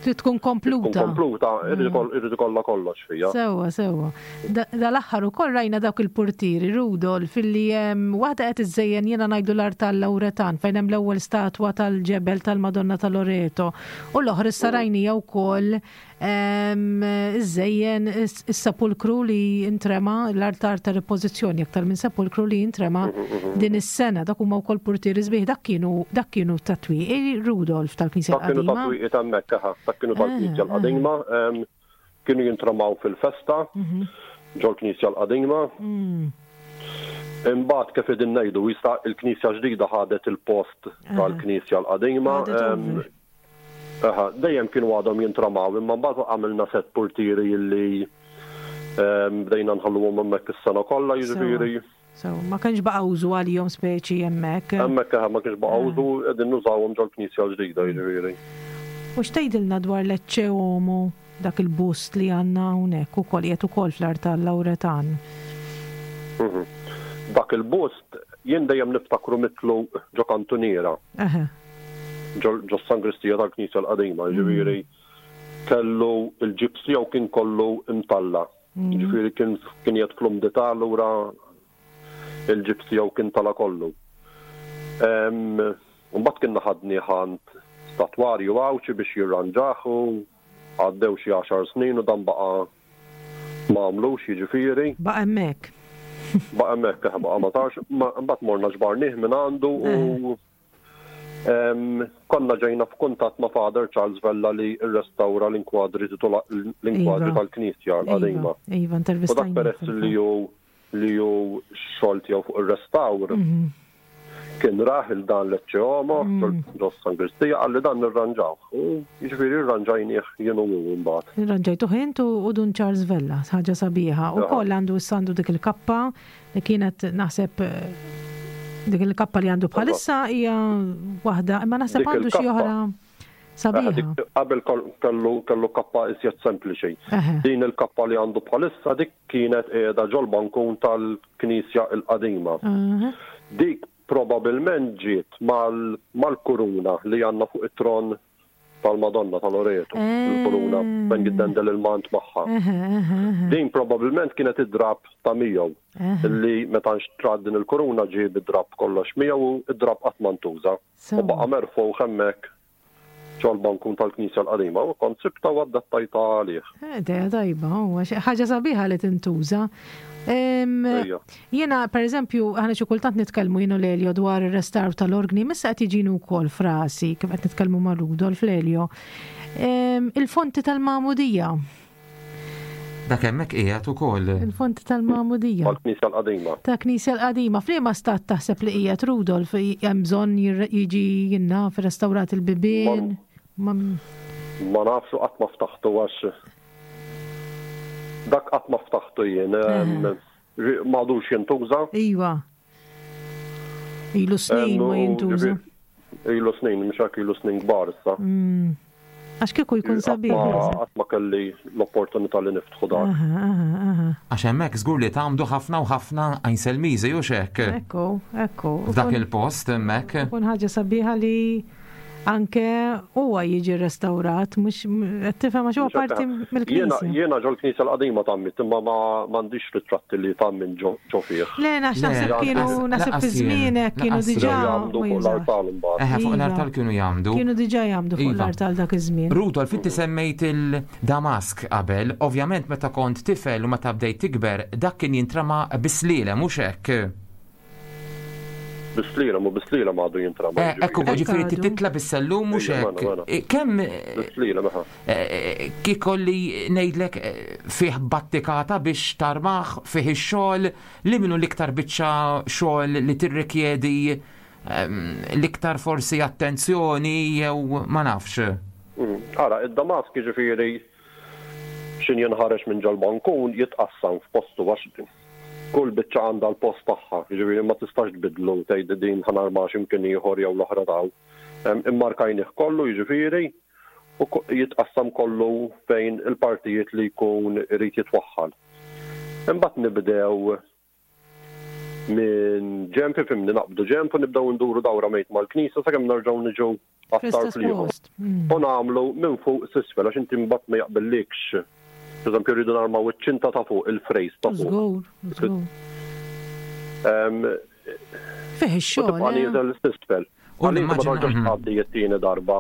Trid tkun kompluta. Tkun kompluta, irid ikollha kollox fiha. Sewwa, sewwa. Dal-aħħar ukoll rajna dawk il-purtieri, Rudolf, illi hemm waħda qed iżżejjen jiena ngħidu l-artal Lawretan fejn hemm l-ewwel statwa tal-ġebel tal-Madonna ta' Loreto u l-oħra issa rajnija wkoll Iżżejjen is-sepulkru li intrema l-altar ta' ripożizzjoni aktar minn sepulkru li intrema din is-sena. Dak huma wkoll purtieri sbieħ dak kienu dak kienu tat-twieqi Rudolf tal-Knisja Dak kienu tat-twieqi ta' hemmhekk, aha, dak kienu tal-Knisja l-qadima. Kienu jintramaw fil-festa mhm. ġol-Knisja l-qadima. Mm. Imbagħad kif qegħdin ngħidu jista' il-Knisja ġdida ħadet il-post tal-Knisja l-qadima. Aha, dejjem kienu għadhom jintramaw imma mbagħad għamilna set purtieri illi ehm, bdejna nħalluhom hemmhekk is-sena kollha jiġifieri. So, ma kienx baqa' użu għalihom speċi hemmhekk. Hemmhekk eħe ma kienx baqa' eh. użu qegħdin nużawhom ġol-knisja l-ġdida jiġifieri. U x'tgħidilna dwar l-Ecce Homo dak il-bust li għandna hawnhekk ukoll qiegħed ukoll fl-artal Lawretan? Mhm. Dak il-bust jien dejjem niftakru mitlu ġo kantuniera. Eħe. Ġo sangristija tal-Knisja l-qadima, ġifieri kellu il-ġibs tiegħu kien kollu imtalla. Mm. Ġifieri kien kien qiegħed fl-umdità allura il-ġibs tiegħu kien tala kollu. Mbagħad kienna ħadnieh għand statwarju Għawdxi biex jirranġah u għaddew xi għaxar snin u dan baqa' ma għamlux jiġifieri. Baqa' hemmhekk. Baqa' hemmhekk, eħe baqa' ma sarx. Mbagħad morna ġbarnieh minn għandu u konna ġejna f'kuntatt ma' Father Charles Vella li rrestawra l-inkwadri l-inkwadri iva. tal-Knisja l-qadima. Iva, intervistajna. U dak peress li hu li hu x-xogħol tiegħu fuq ir-restawr, mhm. kien rah il dan l-Ecce Homo, mm. ġo Sangristija, qalli dan nirranġawh. U jiġifieri rranġajnieh jien u hu mbagħad. Irranġajtuh int u Dun Charles Vella, ħaġa sabiħa. U koll għandu issa għandu dik il-kappa li kienet naħseb dik il-kappa li għandu bħalissa hija waħda, imma naħseb għandu xi oħra. Sabiħa. Qabel kellu kellu kappa iżjed sempliċi. Din il-kappa li għandu bħalissa dik kienet qiegħda ġol-bankun tal-knisja l-qadima. Dik probabilment ġiet mal-kuruna li għandna fuq it-tron tal-Madonna ta' Loreto, il-kuruna fejn jiddendel il-mant magħha. Din probabilment kienet id-drapp ta' miegħu li meta nxtrat din il-kuruna ġie bid-drapp kollox miegħu u d-drapp qatt ma ntuża. U baqa' merfugħ hemmhekk ġol-bankun tal-knisja l-qadima u kont sibtha u adattajtha għalih. Idea tajba, huwa ħaġa sabiħa li tintuża. Jiena, per eżempju, aħna xi kultant nitkellmu jien u Lelio dwar ir-restawr tal-orgni, missa qed jiġini wkoll frasi kif qed nitkellmu ma' Rudolf Lelio. Il-fonti tal-magħmudija. Dak hemmhekk qiegħed ukoll. Il-fonti tal-Magħmudija. Tal-Knisja l-Qadima. Ta' Knisja l-Qadima. F'liema stat taħseb li qiegħed Rudolf hemm bżonn jiġi jinnaf restawrat il-bibien? Ma nafx u qatt ma ftaħtu għax dak qatt ma ftaħtu jien. M'għadux jintuża. Iva. Ilu snin ma jintuża. Ilu snin, mhux hekk ilu snin kbar issa. Mm. Għax kieku jkun sabiħ. Qatt ma kelli l-opportunità li niftħu dak. Għax hemmhekk żgur li tagħmdu ħafna u ħafna għajnselmiżi u xek. Ekku, ekku. F'dak il-post hemmhekk. Kun ħaġa sabiħa li anke huwa jiġi restawrat, mhux qed tifhem għax huwa parti mill-knisja. Jiena ġol-knisja l-qadima tgħammidt imma m'għandix ritratti li tgħammin ġo fih. Le, għax naħseb kienu naħseb fi żmienek kienu diġà jagħmdu fuq l-artal imbagħad. Eħe, fuq l-artal kienu jagħmdu. Kienu diġà jagħmdu fuq l-artal dak iż-żmien. Rudolf, inti semmejt il-Damask qabel, ovvjament meta kont tifel u meta bdejt tikber, dak kien jintrama bis-slielem, mhux hekk? Bis-slielem u bis-slielem għadu jintrama. Eh, ekku, ġifieri titla bis-sellum mhux hekk. Mela, mela. Eh, kemm Bis-slielem, aha. Eh, kikolli ngħidlek fih battikata biex tarmaħ fih ix-xogħol li minnu l-iktar biċċa xogħol li tirrikjedi ehm, l-iktar forsi attenzjoni jew ma nafx. Mm, ara, id-Damask ġifieri xin jinħareġ minn ġol-bankun jitqassam f'postu għax Kull biċċa għandha l-post tagħha, jiġifieri ma tistax tbiddlu u tgħid din ħa narmaha xi mkien ieħor jew l-oħra t'hawn. Immarkajnih kollu jiġifieri u jitqassam kollu fejn il-partijiet li jkun irid jitwaħħal. Imbagħad nibdew minn ġenb, ifhimni, naqbdu ġenb u nibdew induru dawra mejt mal-knisja sakemm nerġgħu niġu għat-tarf l-ieħor. Mm. U nagħmlu minn fuq s'isfel għax inti mbagħad ma jaqbillikx. Pereżempju rridu narmaw iċ-ċinta ta' fuq il-frejs ta' fuq. Żgur, żgur. Fih ix-xogħol. Tibqa' eh? nieżel s'isfel. U ma tarġax mhm. tgħaddi t-tieni darba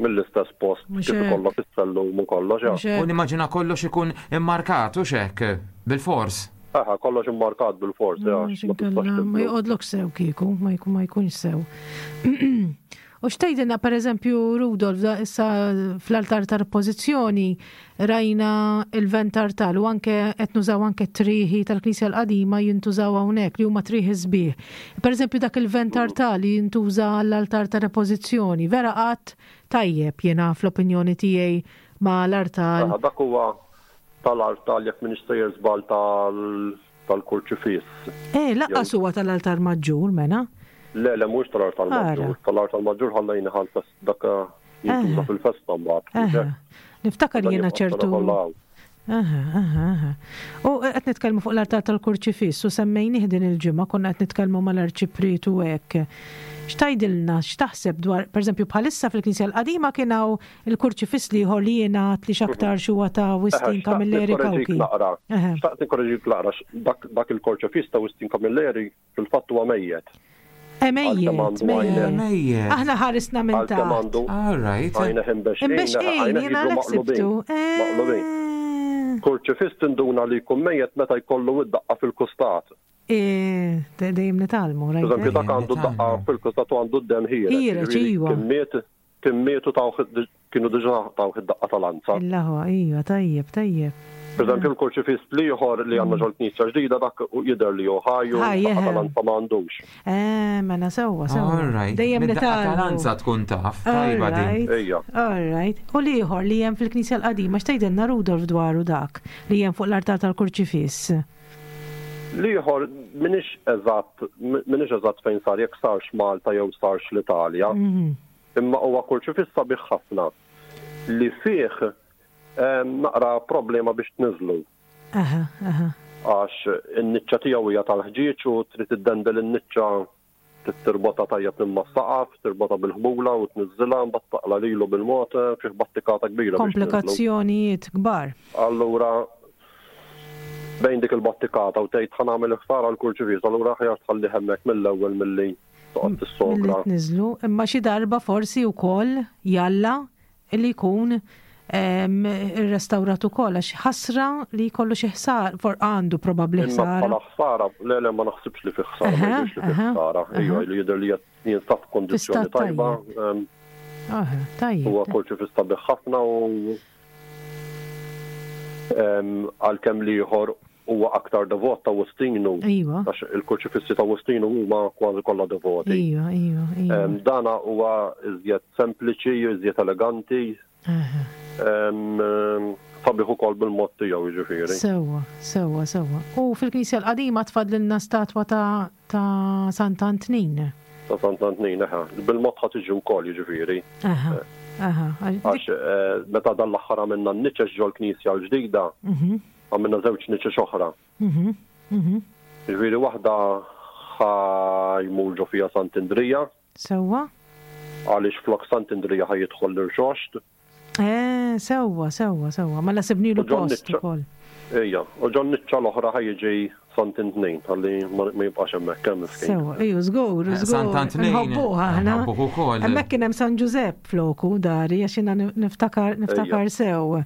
mill-istess post kif ikollok is-sellum u kollox. U nimmaġina kollox ikun immarkat u xek bil-fors. Aha, kollox immarkat bil-fors, Ma joqgħodlok sew kieku, ma jkunx sew. U x'tgħidilna pereżempju Rudolf da issa fl-altar tar-Ripożizzjoni rajna il-ventartal u anke qed nużaw anke t-trieħi tal-Knisja l-qadima jintużaw hawnhekk li huma trieħi sbieħ. Pereżempju dak il-ventartal li jintuża għall-altar tar-Repożizzjoni, vera qatt tajjeb jiena fl-opinjoni tiegħi ma' l-artal. Dak huwa tal-artal jekk m'iniex sejjer żball tal tal-kurċifiss. Eh, laqqas huwa tal-altar maġġur, mela. Le, le, mhux tal-altar maġġur. Tal-altar maġġur ħallejni ħal dak jintuża fil-festa mbagħad. Niftakar jiena ċertu. Aha, aha, aha. U qed nitkellmu fuq l-altar tal-kurċifiss u semmejnih din il-ġimgħa konna qed nitkellmu mal-arċipriet u hekk. X'tgħidilna, x'taħseb dwar, pereżempju bħalissa fil-Knisja l-qadima kien hawn Il-kurċifiss l-ieħor li jingħad li x'aktarx huwa ta' Wistin Camilleri Cauchi. Xtaqt nikkoreġik naqra, dak il-kurċifiss ta' Wistin Camilleri fil-fatt huwa mejjet. Mejjet, mejjet. Aħna ħarisna minn taħt. All right. Għajnejh imbexqin. Imbexqin, jiena għalhekk sibtu. Maqlubin. Kurċifiss tinduna li jkun mejjet meta jkollu id-daqqa fil-kustat. Dejjem nitgħallmu, rajt. Eżempju, dak għandu daqqa fil-kustat u għandu d-dem ħiereġ. Ħiereġ, iva. Kien miet, kien miet u tawh, kienu diġà tawh id-daqqa ta' lanza. L-aħwa, iva, tajjeb, tajjeb. Eżempju, l-kurċifiss l-ieħor li għandna ġol-knisja ġdida dak jidher li hu ħaj u daqqa ta' lanza ma għandux. Eh, mela sewwa, sewwa. All right. Dejjem Mid-daqqa ta' lanza tkun taf, tajba din. Ejja. All right. U l-ieħor li hemm fil-knisja l-qadima, x'tgħidilna Rudolf dwaru dak li hemm fuq l-artal tal-kurċifiss? L-ieħor m'iniex eżatt, m'iniex eżatt fejn sar, jekk sarx Malta jew sarx l-Italja. Imma huwa kurċifiss sabiħ ħafna li fih naqra problema biex tniżżlu. Għax in-niċċa tiegħu hija tal-ħġieġ u trid iddendel in-niċċa Trid tirbotha tajjeb minn mas-saqaf, tirbotha bil-ħbula u tniżżilha, mbagħad taqla' lilu bil-mod, fih battikata kbira biex tniżżlu. Komplikazzjonijiet kbar. Allura bejn dik il-battikata u tgħid ħa nagħmel il-ħsara għall-kurċifiss, allura aħjar tħallih hemmhekk mill-ewwel milli toqgħod tissogra. Milli tniżżlu, imma xi darba forsi wkoll jalla li jkun irrestawrat ukoll għax ħasra li jkollu xi ħsara, for għandu probabbli ħsara. Imma bħala ħsara, le le ma naħsibx li fih ħsara, ma jidhirx li fih ħsara. Ejja, li jidher li jinsab f'kondizzjoni tajba. Tajjeb. Huwa kurċifiss sabiħ ħafna u għalkemm l-ieħor huwa aktar devot ta' Wustinu. Iva. Għax il-kurċifissi ta' Wustinu huma kważi kollha devoti. Iva, iva, iva. Dana huwa iżjed sempliċi, iżjed eleganti. Sabiħ ukoll bil-mod tiegħu jiġifieri. Sewwa, sewwa, sewwa. U fil-Knisja l-qadima tfadlilna statwa ta' ta' Sant'Antnin. Ta' Sant'Antnin, eħe. Bil-mod ħa tiġi wkoll jiġifieri. Aha, aha. Għax meta dan l-aħħar għamilna n-niċeċ ġol-Knisja l-ġdida, Għamilna żewġ niċeċ oħra. Jiġifieri waħda ħa jmur ġo fiha Sant'Indrija. Sewwa. Għaliex flok Sant'Indrija ħa jidħol l-Irxoxt. Eh, sewwa, sewwa, sewwa. Mela sibnilu post ukoll. Ejja, u ġo n-niċċa l-oħra ħa jiġi Sant'Intnin, ħalli ma jibqax hemmhekk hemm miskin. Sewwa, ejju, żgur, żgur. Sant'Antnin. Nħobbuh aħna. Nħobbuh ukoll. Hemmhekk kien hemm San Ġużepp floku dari għax jiena niftakar niftakar sew.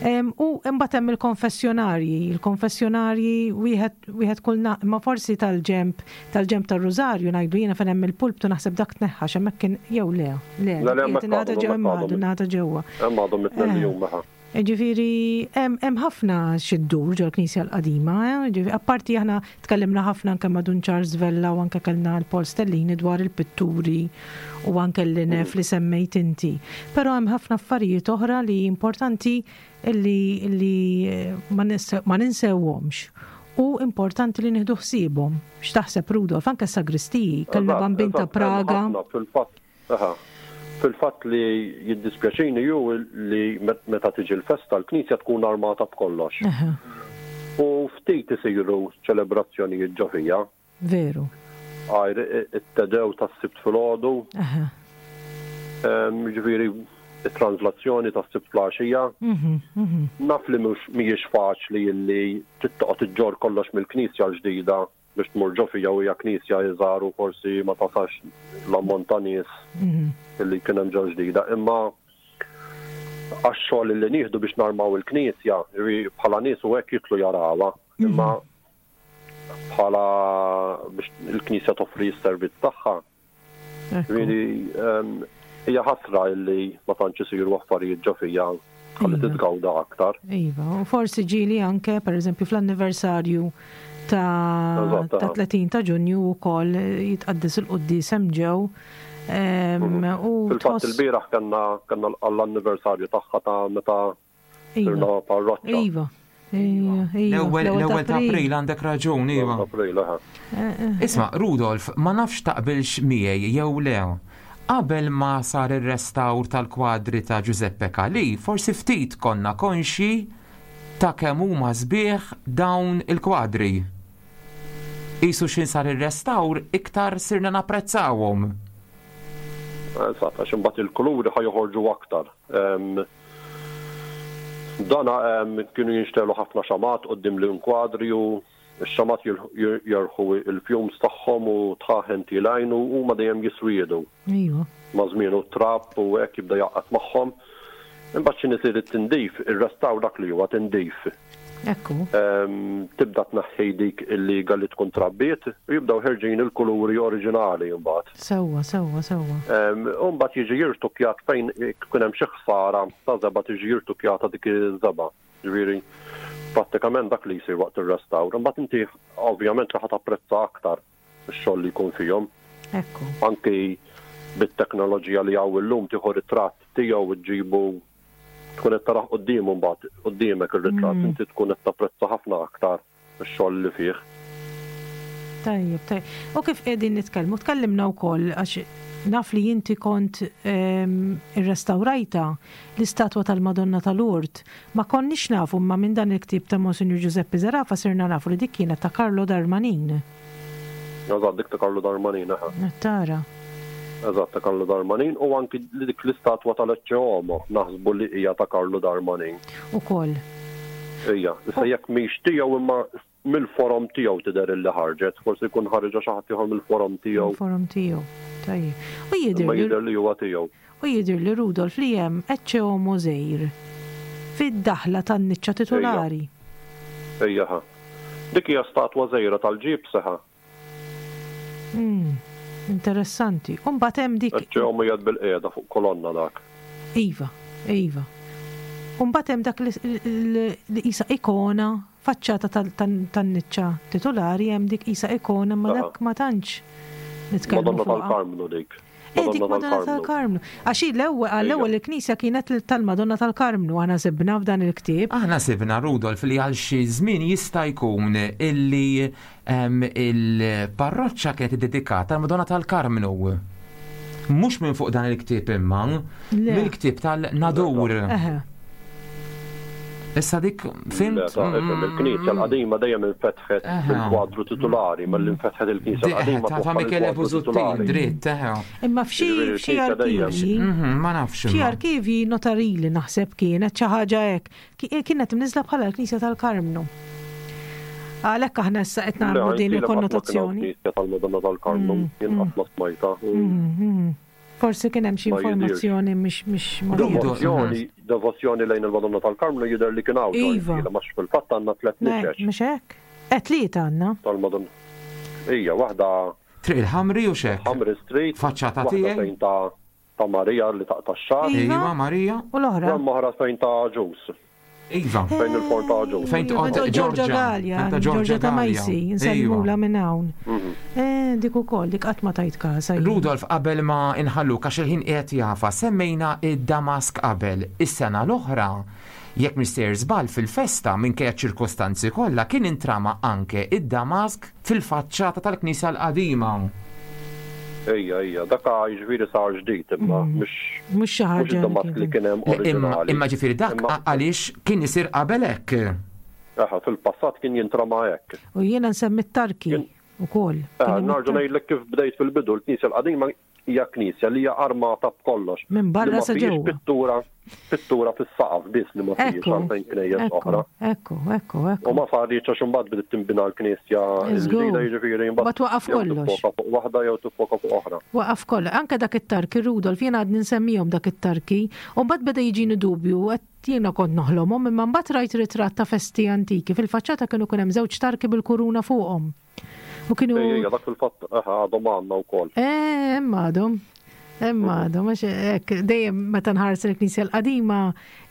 U imbagħad hemm il-konfessjonarji, il-konfessjonarji wieħed wieħed kull imma forsi tal-ġemp tal-ġemp tar-Rużarju ngħidu jiena fejn hemm il-pulptu naħseb dak tneħħa hemmhekk kien jew le, le, Le, le, hemmhekk ingħata għadhom, ġew hemmhekk għadhom. ingħata ġewwa. Hemm għadhom it-tnejn li huma, ha. Jiġifieri hemm hemm ħafna xi ddur ġol-Knisja l-qadima, eh, jiġifieri apparti aħna tkellimna ħafna anke ma' Dun Charles Vella u anke kellna l-Paul Stellini dwar il-pitturi u anke l-linef li semmejt inti. Però hemm ħafna affarijiet oħra li importanti li li ma ma ninsewhomx u importanti li nieħdu ħsiebhom. X'taħseb Rudolf? Anke s-sagristiji, kellna Bambin ta' Praga. Fil-fatt Aha. Fil-fatt li jiddispjaċini hu li meta tiġi l-festa l-knisja tkun armata b'kollox. U ftit isiru ċelebrazzjonijiet ġo fija. Veru. Għajr it-Te Deum tas-Sibt filgħodu. Jiġifieri it-translazzjoni tas-Sibt fl-għaxija. Naf li mhux mhijiex faċli illi trid toqgħod iġġorr kollox mill-knisja l-ġdida biex tmur ġo fija u hija knisja iżgħar u forsi ma tasax l-ammont ta' nies illi kien hemm ġo ġdida. Imma għax-xogħol illi nieħdu biex narmaw il-knisja, bħala nies u hekk jidħlu jarawha, imma bħala biex il-knisja toffri s-servizz tagħha, Ġifieri hija ħasra illi ma tantx isiru affarijiet ġo fija ħalli iva. titgawda aktar. Iva, u forsi ġieli anke pereżempju fl-anniversarju ta' 30 ta' Ġunju wkoll jitqaddes il-quddies hemm ġew. Mhm. Fil-fatt il-bieraħ kellna għall-anniversarju tagħha ta' meta Iva. Parroċċa. Iva. L-ewwel l-ewwel ta' April għandek raġun, iva. April, aha. Eh, eh. Isma' Rudolf, ma nafx taqbilx miegħi jew le. Qabel ma sar ir-restawr tal-kwadri ta' Giuseppe Calì, forsi ftit konna konxji ta' kemm huma sbieħ dawn il-kwadri. Qisu x'in sar ir-restawr iktar sirna napprezzawhom. Eżatt, għax imbagħad il-kuluri ħa joħorġu aktar. Dana kienu jinxtegħlu ħafna xamgħat quddiem l-inkwadri u Ix-xamat jerħu il-fumes tagħhom u dħaħen tielgħin u huma dejjem jiswiedu. Iva. Ma' żmien u t-trab u hekk jibda jgħaqqad magħhom. Imbagħad x'inhi isir it-tindif, ir-restawr dak li huwa tindif. Ekku. Tibda tneħħi dik il-liga li tkun trabbiet u jibdew ħerġin il-kuluri oriġinali mbagħad. Sewwa, sewwa, sewwa. U mbagħad jiġi jirtukkjat fejn ikun hemm xi ħsara ta' żebgħa tiġi jirtukkjata dik iż-żebgħa. Ġifieri prattikament dak li jsir waqt ir-restawr. Imbagħad inti ovvjament li ħa tapprezza aktar ix-xogħol li jkun fihom. Ekku. Anki bit-teknoloġija li hawn illum tieħu ritratt tiegħu ġġibu tkun qed tarah quddiemu mbagħad quddiemek ir-ritratt mm. inti tkun qed tapprezza ħafna aktar ix-xogħol li fih. Tajjeb, tajjeb. U kif qegħdin nitkellmu, tkellimna wkoll għax naf li inti kont ehm, irrestawrajta l-istatwa tal-Madonna tal-Urt. Ma konniex nafu imma minn dan il-ktieb ta' Monsinjur Giuseppe Zerafa sirna nafu li dik kienet ta' Carlo Darmanin. Eżatt, dik ta' Carlo Darmanin, eħe. Qed tara. Eżatt, ta' Carlo Darmanin u anki li dik l-istatwa tal-Ecce Homo naħsbu li hija ta' Carlo Darmanin. Ukoll. Ija, issa jekk mhix tiegħu imma mill-forom tiegħu tidher illi ħarġet, forsi jkun ħariġha xi ħadd ieħor mill-forom tiegħu. Mill-forom tiegħu. Tajjeb. U jidher Imma jidher li huwa tiegħu. U jidhirli, Rudolf, li hemm Ecce Homo żgħir fid-daħla tan-niċċa titulari. Ejja. Ejja ħa. Dik hija statwa żgħira tal-ġibs ħa. Umm. Interessanti. U mbagħad hemm dik. Ecce Homo qiegħed bilqiegħda fuq kolonna dak. Iva, iva. U mbagħad hemm dak li qisha ikona, faċċata tan-niċċa titulari hemm dik qisha ikona imma dak ma tantx nitkellmu fuqha. Madonna tal-Karmnu dik. Eh, dik Madonna tal-Karmnu. Għax hi l-ewwel għall-ewwel il-knisja kienet tal-Madonna tal-Karmnu aħna sibna f'dan il-ktieb. Aħna sibna Rudolf li għal xi żmien jista' jkun illi il-parroċċa kienet iddedikata għall-Madonna tal-Karmnu. Mhux minn fuq dan il-ktieb imma, mill-ktieb tal-Nadur. Issa dik fimt. Il-knisja l-qadima dejjem infetħet bil-kwadru titulari, malli infetħet il-knisja l-qadima. Ta' Michele Busuttil, dritt, eħe. Imma f'xi f'xi arkivji. Mhm, ma nafx. F'xi arkivji notarili naħseb kienet xi ħaġa hekk. Kienet imniżla bħala l-Knisja tal-Karmnu. Għalhekk aħna issa qed nagħmlu din il-konnotazzjoni. Knisja tal-Madonna tal-Karmnu, mm, jien qatt ma smajta. Mm, mm. Forsi kien hemm xi informazzjoni mhix mhix Devozzjoni, devozzjoni lejn il-Madonna tal-Karmnu jidher li kien hawn. Iva. Għax fil-fatt għandna tlett niċeċ. Mhux hekk? Eh tlieta għandna. Tal-Madonna. Ija, waħda. Triq il-Ħamri u x'hekk? Ħamri Street. Faċċata tiegħi. Fejn ta' ta' Marija li taqta' x-xagħar. Iva, Marija. U l-oħra? U hemm oħra fejn ta' Ġus. Iva. Fejn il-forn ta' Ġus. Fejn toqgħod Ġorġa Gallia. Ġorġa ta' Majsi, insellmula minn hawn. Mhm. Eh, dik ukoll, dik qatt ma tajt kasa. Rudolf, qabel ma inħalluk għax il-ħin qiegħed jafa, semmejna id-Damask qabel. Is-sena l-oħra, jekk mhix sejjer żball fil-festa minkejja ċ-ċirkostanzi kollha kien intrama anke id-Damask fil-faċċata tal-knisja l-qadima. Ejja, ejja, dak jiġifieri sar ġdid imma mm. mhux mhux xi ħaġa dak li kien hemm oriġinali. Imma ġifieri dak għaliex kien isir qabel hekk. Aha, fil-passat kien jintrama hekk. U jiena nsemmi t-tarki ukoll. Narġa' ngħidlek kif bdejt fil-bidu l-knisja l-qadima hija knisja li hija armata b'kollox. Minn barra sa ġewwa. Pittura, pittura fis-saqaf biss li ma fihiex għalfejn knejjes oħra. Ekku, ekku, ekku. U ma saritx għax imbagħad bdiet tinbina l-knisja l-ġdida jiġifieri imbagħad. Waqaf kollox. Tiffoka fuq waħda jew tiffoka fuq oħra. Waqaf kollox. Anke dak it-tarki Rudolf jiena għadni nsemmihom dak it-tarki. U mbagħad beda jiġini dubju qed jiena kont noħlomhom imma mbagħad rajt ritratt ta' festi antiki fil-faċċata kienu kien hemm żewġ tarki bil-kuruna fuqhom. U kienu. Ejja, dak fil-fatt għadhom għandna wkoll. Eh, hemm għadhom. Hemm għadhom, għax hekk dejjem meta nħares il-Knisja l-qadima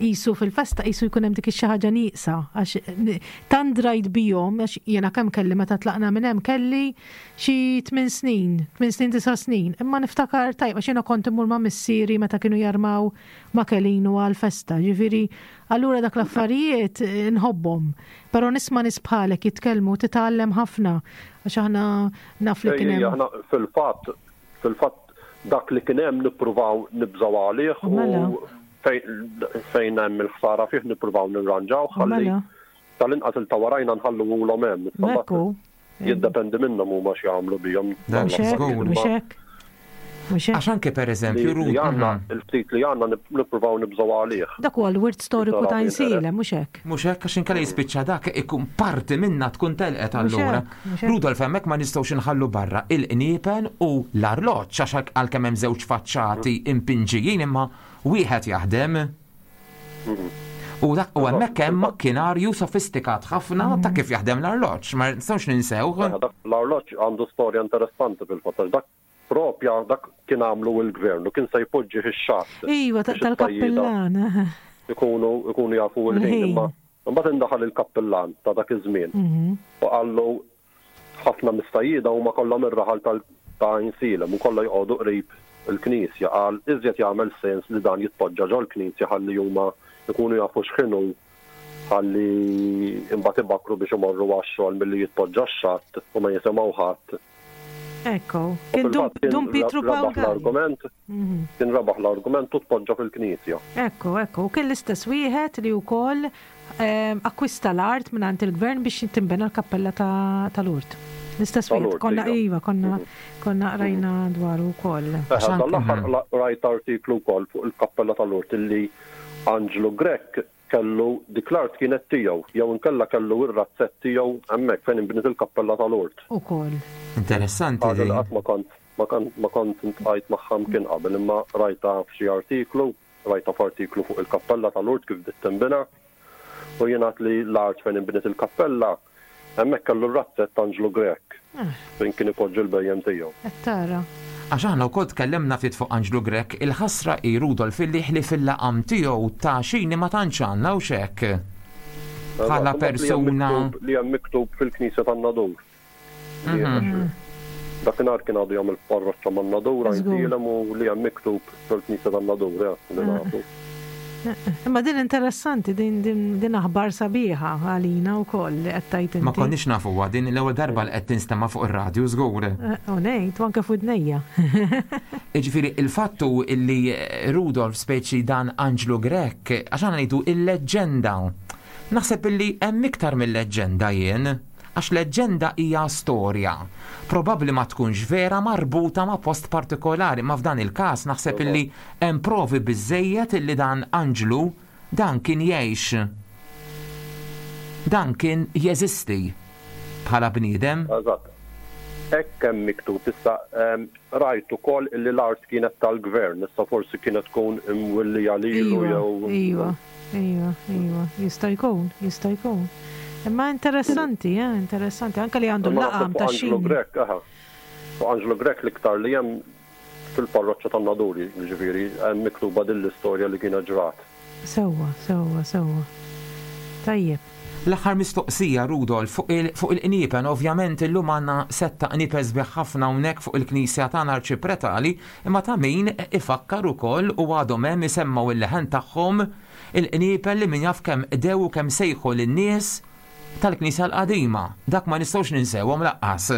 qisu fil-festa qisu jkun hemm dik ix-xi ħaġa nieqsa għax tant drajt bihom għax jiena kemm kelli meta tlaqna minn hemm kelli xi tmien snin, tmien snin disa' snin, imma niftakar tajjeb għax jiena kont immur ma' missieri meta kienu jarmaw ma' Kelinu għall-festa, ġifieri allura dak l-affarijiet nħobbhom. Però nisma' nies bħalek jitkellmu titgħallem ħafna għax aħna naf li kien hemm. Aħna fil-fatt, fil-fatt dak li kien hemm nippruvaw nibżgħu għalih u mela. fejn hemm il-ħsara fih nippruvaw nirranġaw ħalli mela. tal-inqas il ta' warajna nħalluhulhom hemm. Ekku. Jiddependi minnhom huma x'jagħmlu bihom. Mhux hekk. Mhux hekk? Għax anke pereżempju Li għandna mhm. il-ftit li għandna nippruvaw nibżgħu għalih. Dak huwa l-wirt storiku ta' Insielem, mhux hekk? Mhux hekk għax inkella jispiċċa dak ikun parti minna tkun telqet allura. Rudolf hemmhekk ma nistgħux inħallu barra il-qniepen u l-arloġġ għax għalkemm hemm żewġ faċċati impinġijin imma wieħed jaħdem. U dak u hemmhekk hemm makkinarju sofistikat ħafna ta' kif jaħdem l-arloġġ, ma nistgħux ninsew. L-arloġġ għandu storja interessanti fil-fatt dak propja dak kien għamlu il-gvern u kien se jpoġġi ix-xatt. Iva, tal-kappillan. Ikunu ikunu jafu l-ħin imma mbagħad indaħal il-kappillan ta' dak iż-żmien mhm. u qallu Ħafna mis-sajjieda huma kollha mir-raħal ta' Għajnsielem u kollha joqogħdu qrib il-knisja. Qal, iżjed jagħmel sens li dan jitpoġġa ġol-knisja ħalli huma jkunu jafu x'ħin hu ħalli imbagħad ibakkru biex imorru għax-xogħol milli jitpoġġa x-xatt u ma jisimgħu ħadd. Ekku, kien Dun Pietru Pawl Rebaħ l-argument, kien rebaħ l-argument u tpoġġa fil-knisja. Ekku, ekku, u kien l-istess wieħed li wkoll akkwista l-art mingħand il-gvern biex tinbena l-kappella ta' Lourdes. L-istess wieħed, konna iva, konna konna qrajna dwaru wkoll. Dan l-aħħar qrajt artiklu wkoll fuq il-kappella ta' Lourdes illi Anġlu Grech kellu dik l-art kienet tiegħu jew inkella kellu r-razzett tiegħu hemmhekk fejn inbniet il-kappella ta' Lourdes. Ukoll. Interessanti din. Ħaġa li qatt ma kont ma kont ma kont intqajt magħha mkien qabel imma rajtha f'xi artiklu, rajtha f'artiklu fuq il-kappella ta' Lourdes kif bdiet tinbena u jingħad li l-art fejn inbniet il-kappella Hemmhekk kellu r-razzett Anġlu Grech fejn kien ipoġġi l-bhejjem tiegħu. Qed tara. Għax aħna wkoll tkellimna ftit fuq Anġlu Grech, il-ħasra hi Rudolf illi ħlief il-laqam tiegħu ta' xini ma tantx għandna hux hekk? Bħala persuna. Li hemm miktub fil-knisja tan-Nadur. Dakinhar kien għadu jagħmel parroċċa man-Nadur Għajnsielem u li hemm miktub fil-knisja tan-Nadur, eh, li nafu. Imma din interessanti, din din din aħbar sabiħa għalina wkoll li qed tgħid inti. Ma konniex nafuha din l-ewwel darba li qed tinstema' fuq ir-radju żgur. U ngħid, u anke f'widnejja. Jiġifieri il-fatt hu illi Rudolf speċi dan Anġlu Grech, għax aħna ngħidu il-leġġenda. Naħseb illi hemm iktar mil-leġġenda jien. Għax leġġenda hija storja. Probabbli ma tkunx vera marbuta ma' post partikolari, imma f'dan il-każ naħseb illi hemm provi biżżejjed illi dan Anġlu dan kien jgħix. Dan kien jeżisti bħala bniedem. Eżatt. Hekk hemm miktub. Issa rajt ukoll illi l-art kienet tal-gvern, issa forsi kienet tkun imwillija lilu jew. Iva, iva. Iva, iva, jista' jkun, jista' jkun. Imma interessanti, eh, interessanti, anke li għandu l-laqam ta' xi. Angelo Grech, aha. Fuq Angelo Grech l-iktar li hemm fil-parroċċa tan-Nadur, jiġifieri, hemm miktuba din l-istorja li kienet ġrat. Sewwa, sewwa, sewwa. Tajjeb. L-aħħar mistoqsija, Rudolf, fuq il-qniepen, ovvjament illum għandna sett ta' qniepen sbieħ ħafna hawnhekk fuq il-knisja tagħna arċipretali, imma ta' min ifakkar ukoll u għadhom hemm isemmgħu l-leħen tagħhom il-qniepen li min jaf kemm qdew u kemm sejħu lin-nies tal-knisja l-qadima. Dak ma nistgħux ninsewhom lanqas.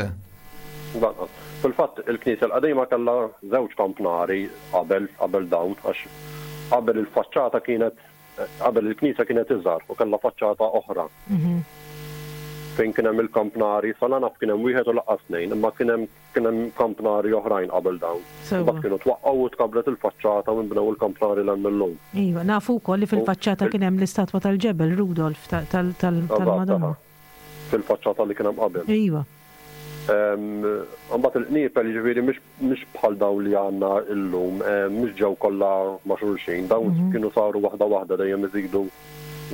Lanqas. Fil-fatt il-knisja l-qadima kellha żewġ kampnari qabel qabel dawn għax qabel il-faċċata kienet Qabel il-knisja kienet iżgħar u kellha faċċata oħra. Fejn kien hemm il-kampnari, sa la naf kien hemm wieħed u lanqas tnejn, imma kien hemm kien hemm kampnari oħrajn qabel dawn. Imbagħad kienu twaqqgħu u tkabbret il-faċċata u nbnew il-kampnari 'l hemm illum. Iva, nafu wkoll li fil-faċċata kien hemm l-istatwa tal-ġebel Rudolf tal-Madonna. Fil-faċċata li kien hemm qabel. Iva. Imbagħad il-qniepel jiġifieri mhux bħal dawn li għandna llum, mhux ġew kollha ma' xulxin, dawn kienu saru waħda waħda dejjem iżidu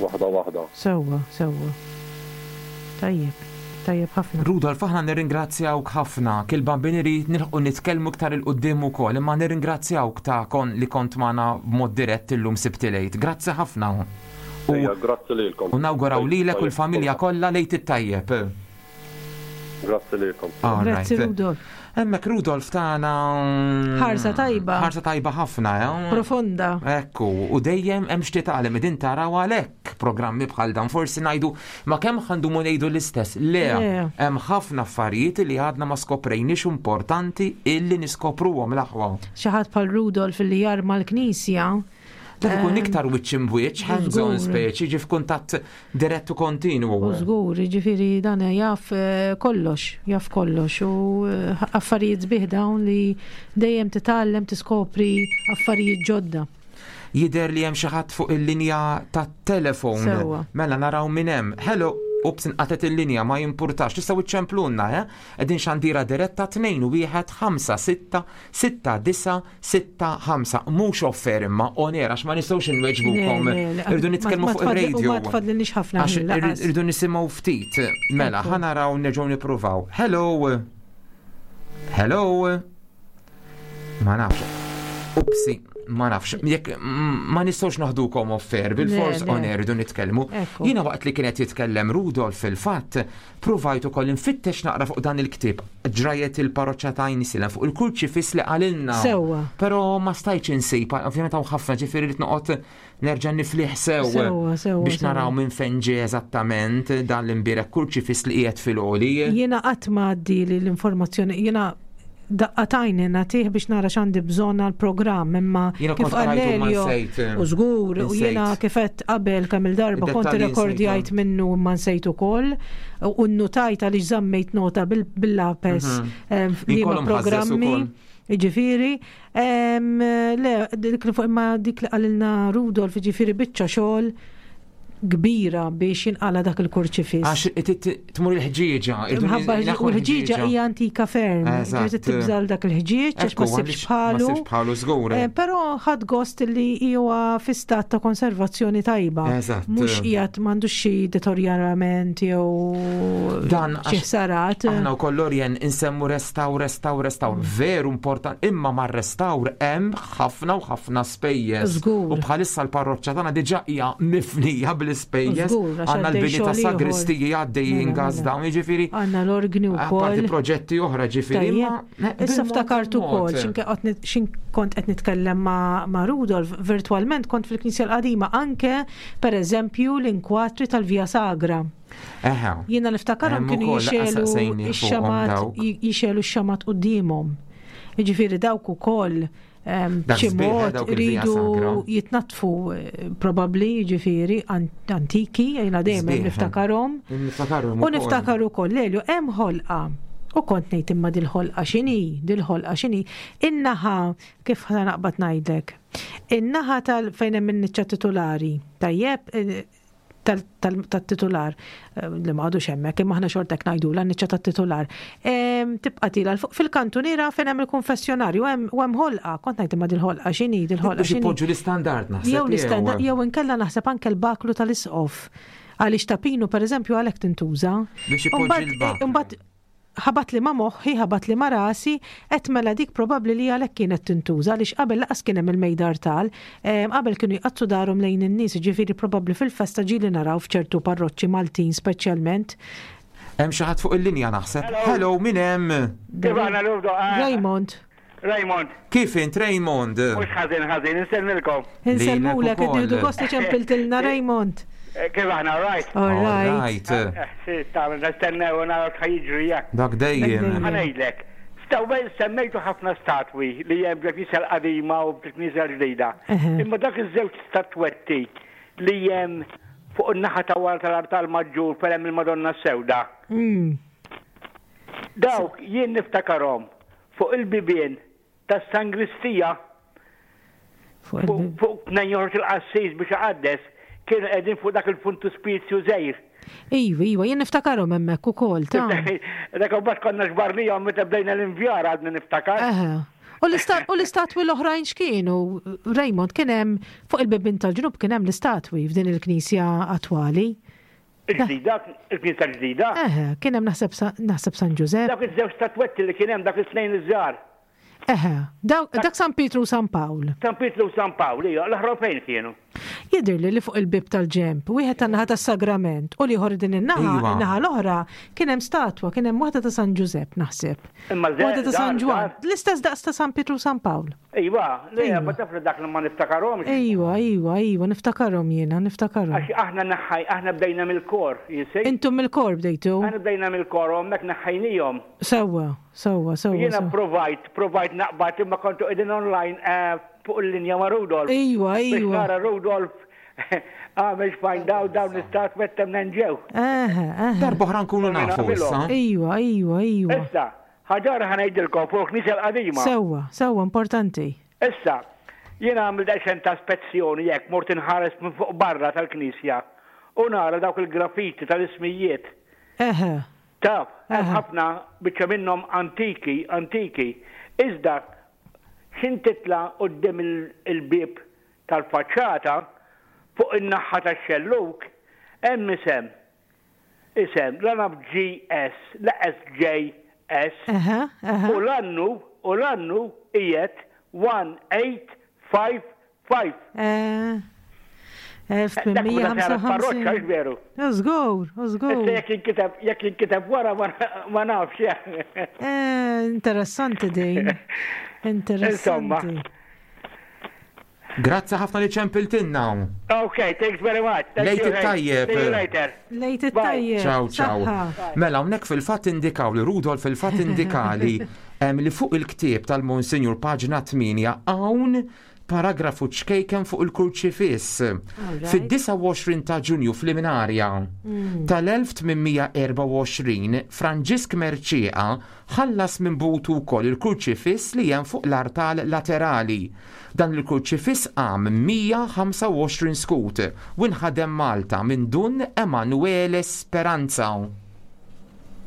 waħda waħda. Sewwa, sewwa. Tajjeb, tajjeb ħafna. Rudolf, aħna nirringrazzjawk ħafna. Kil-Bambin irid nilħqu nitkellmu iktar 'il quddiem ukoll, imma nirringrazzjawk ta' kon li kont magħna b'mod dirett illum Sibt il-Għid. Grazzi ħafna. U Grazzi lilkom. U nawguraw lilek u l-familja kollha l-Għid it-tajjeb. Grazzi lilkom. Grazzi Rudolf. Hemmhekk Rudolf tagħna ħarsa tajba. Ħarsa tajba ħafna, eh? Profonda. Ekku, u dejjem hemm xi tagħlem din taraw għalhekk programmi bħal dan forsi ngħidu ma kemm ħandumu ngħidu l-istess. Le, hemm ħafna affarijiet li għadna ma skoprejniex importanti illi niskopruhom l-aħwa. Xi ħadd bħal Rudolf li jarma l-knisja. Dak ikun iktar wiċċ imbwiċċ, hands on speċi, ġi f'kuntatt dirett u kontinwu. U żgur, ġifieri dan jaf eh, kollox, jaf kollox u eh, affarijiet sbieħ dawn li dejjem titgħallem tiskopri affarijiet ġodda. Jidher li hemm xi ħadd fuq il-linja tat-telefon. Mela naraw min hemm. Hello, ups inqatet il-linja ma jimpurtax. Tistgħu iċċemplunna, eh? Qegħdin xandira diretta 2 1 5 6 6 9 6 5. Mhux offer imma on air għax ma nistgħux inweġbukom. Irdu nitkellmu fuq ir-radio. Ma tfadlilniex ħafna. Għax irdu nisimgħu ftit. Mela, ħa naraw nerġgħu nippruvaw. Hello. Hello. Ma nafx. Upsi, ma nafx. Jekk ma nistgħux naħdukom offer, bil-fors on air irdu nitkellmu. Jiena waqt li kienet jitkellem Rudolf fil-fatt, provajt ukoll infittex naqra fuq dan il-ktieb ġrajet il-parroċċa ta' Għajnsielem fuq il-kurċifiss li qalilna. Sewwa. Però ma stajtx insib, ovvjament hawn ħafna ġifieri rid noqgħod nerġa' niflih sew biex naraw minn fejn ġie eżattament dan l-imbierek kurċifiss li qiegħed fil-għoli. Jiena qatt ma għaddili l-informazzjoni, jiena daqqa tajni nagħtih biex nara x'għandi bżonn għall-programm imma kif Elio u żgur u jiena kif qed qabel kemm il-darba kont irrekordjajt minnu imma nsejt ukoll u nnutajt għaliex żammejt nota bil-lapes mhm. eh, liema programmi. Jiġifieri, le, dik li fuq imma dik li qalilna Rudolf, jiġifieri biċċa xogħol kbira biex jinqala dak il-kurċifiss. Għax tmur il-ħġieġa. Mħabba u l-ħġieġa hija antika ferm. Ġifieri tibżal dak il-ħġieġ għax ma ssibx bħalu. Ma bħalu żgur. Eh, però ħadd gost li huwa fi stat ta' konservazzjoni tajba. Mhux qiegħed m'għandux xi deterjorament jew Dan xi ħsarat. Aħna wkoll Lorien insemmu restawr, restawr, restawr. Veru important, imma mar-restawr hemm ħafna u ħafna spejjeż. Żgur. U bħalissa l-parroċċa tagħna diġà hija mifnija bl-ispejjeż. Żgur, għax Għandna għaddej l-bini ta' xogħol ieħor. sagristiji għaddejjin Mela, gas mela. dawn, jiġifieri. Għandna l-orgni Apparti wkoll. proġetti oħra ġifieri. Tajjeb. imma, eh, Issa bil-mod ftakart il-mod. ukoll x'inke qed nit- x'in kont qed nitkellem ma' ma' Rudolf virtwalment kont fil-Knisja l-Qadima anke pereżempju l-inkwatri tal-Via Sagra. Eħe. Jiena niftakarhom Hemm kienu ukoll laqas jixelu saqsejni fuqhom x-xamat dawk. jixelu x-xamat quddiemhom. Jiġifieri dawk ukoll Dak b'xi sbieħ, eh, mod dawk il-Via iridu Sagra. jitnaddfu eh, probabbli jiġifieri antiki, jiena dejjem Sbieħ, eh. niftakarhom. Niftakarhom U ukoll. niftakar ukoll Lelju hemm ħolqa. U kont ngħid imma dil-ħolqa x'inhi, dil-ħolqa x'inhi. In-naħa kif ħa naqbad ngħidlek. In-naħa tal fejn hemm in-niċċa titulari, tajjeb, eh, tat-titular, eh, li ma għadux hemmhekk, imma aħna xorta hekk ngħidulha n-niċċa tat-titular. Tibqa' tila fuq fil-kantuniera fejn hemm il-konfessjonarju u hemm ħolqa, kont ngħid imma dil-ħolqa x'inhi, dil-ħolqa Biex x'inhi. ipoġġu l-istandard naħseb. Jew l-istandard, jew inkella naħseb anke l-baklu tal-isqof. Għaliex ta' Pinu pereżempju għalhekk tintuża. Biex ipoġġi Imbagħad- l-baklu. Imbagħad ħabat li ma moħħi, ħabat li ma rasi, qed mela dik probabbli li għalhekk kienet tintuża għaliex qabel laqas kien hemm il-mejda artal, qabel kienu jqaddsu darhom lejn in-nies, jiġifieri probabbli fil-festa ġieli naraw f'ċertu parroċċi Maltin speċjalment. Hemm xi ħadd fuq il-linja naħseb. Hello, min hemm? Kif aħna Lurdo? Raymond. Raymond. Kif int Raymond? Mhux ħażin ħażin, insellmilkom. Insellmulek, qed nieħdu gost li ċempiltilna Raymond. Eh, kif aħna, all right? All right. Eh, eh, tagħmel nistennew u naraw x'ħa jiġri jekk. Dak dejjem. Ħa ngħidlek. Stawbel semmejtu ħafna statwi li hemm bil-knisja l-qadima u bil-knisja l-ġdida. Imma dak iż-żewġ statwetti li hemm fuq in-naħa ta' wara tal-artal maġġur fejn hemm il-Madonna s-Sewda. Mm. Dawk jien niftakarhom fuq il-bibien tas-sangristija fuq tnejn joħroġ il-qassis biex iqaddes kienu qegħdin fuq dak il-funtuspizju żgħir. Iva, iva, jien niftakarhom hemmhekk ukoll ta'. Dak imbagħad konna xbarnihom meta bdejna l-invjar għadni niftakar. Eħe. U l-istatwi l-oħrajn x'kienu? Raymond kien hemm fuq il-bibien tal-ġnub kien hemm l-istatwi f'din il-knisja attwali. Il-ġdida, il-knisja l-ġdida. Eħe, kien hemm naħseb naħseb San Ġużepp. Dawk iż-żewġ statwetti li kien hemm dak it-tnejn iż-żgħar. Eħe, dak San Pietru u San Pawl. San Pietru u San Pawl, ija, l-oħra fejn kienu? Jidhirli li fuq il-bieb tal-ġenb, wieħed tan-naħa tas-Sagrament u l-ieħor din in-naħa, in-naħa l-oħra, kien hemm statwa, kien hemm waħda ta' San Ġużepp naħseb. Imma Waħda ta' San Ġwann, l-istess daqs ta' San Pietru u San Pawl. Iva, le, ma taf li dak li ma niftakarhomx. Iva, iva, iva, niftakarhom jiena, niftakarhom. Għax aħna naħħaj, aħna bdejna mill-kor, you see. Intom mill-kor bdejtu? Aħna bdejna mill-kor u hemmhekk naħħajnihom. Sewwa, sewwa, sewwa. Jiena provajt, provajt naqbad imma kontu qegħdin online eh, fuq il-linja ma' Rudolf. Iwa, iwa. Biex nara Rudolf għamel find out dawn l-istatwetti minn ġew. Darba oħra nkunu nafu issa. Iwa, iwa, iwa. Issa, ħaġa oħra ħa ngħidilkom fuq il-Knisja l-Qadima. Sewwa, sewwa, importanti. Issa, jiena għamilt daqsxejn ta' spezzjoni hekk, mort inħares minn fuq barra tal-knisja u nara dawk il-graffiti tal-ismijiet. Eħe. Taf, hemm ħafna biċċa minnhom antiki, antiki. Iżda x'in titla' quddiem il-bieb tal-faċċata, fuq in-naħa tax-xellug, hemm isem. Isem, la naf GS, la SJS. U l-annu, u l-annu qiegħed 1855. Eh. 1855. Parroċċa, veru? Żgur, żgur. Issa jekk jinkiteb, jekk jinkiteb wara ma nafx. Eh, interessanti din. Interessanti. Insomma. Grazzi ħafna li ċempiltilna. Ok, thanks very much. Thank Lejt you, hey. it-tajjeb. See you later. Lejt it-tajjeb. Ciao, ciao. Saħħa. Mela, hawnhekk fil-fatt indikaw li Rudolf fil-fatt indikali em, li fuq il-ktieb tal-Monsinjur paġna 8 hawn paragrafu ċkejken fuq il-kurċifiss. Alright. Fid-29 ta' Ġunju fl-Iminarja tal-1824 Franġisk Mercieca ħallas minn butu wkoll il-kurċifiss li hemm fuq l-artal laterali. Dan il-kurċifiss qam 125 skut u nħadem Malta minn Dun Emanuele Speranza.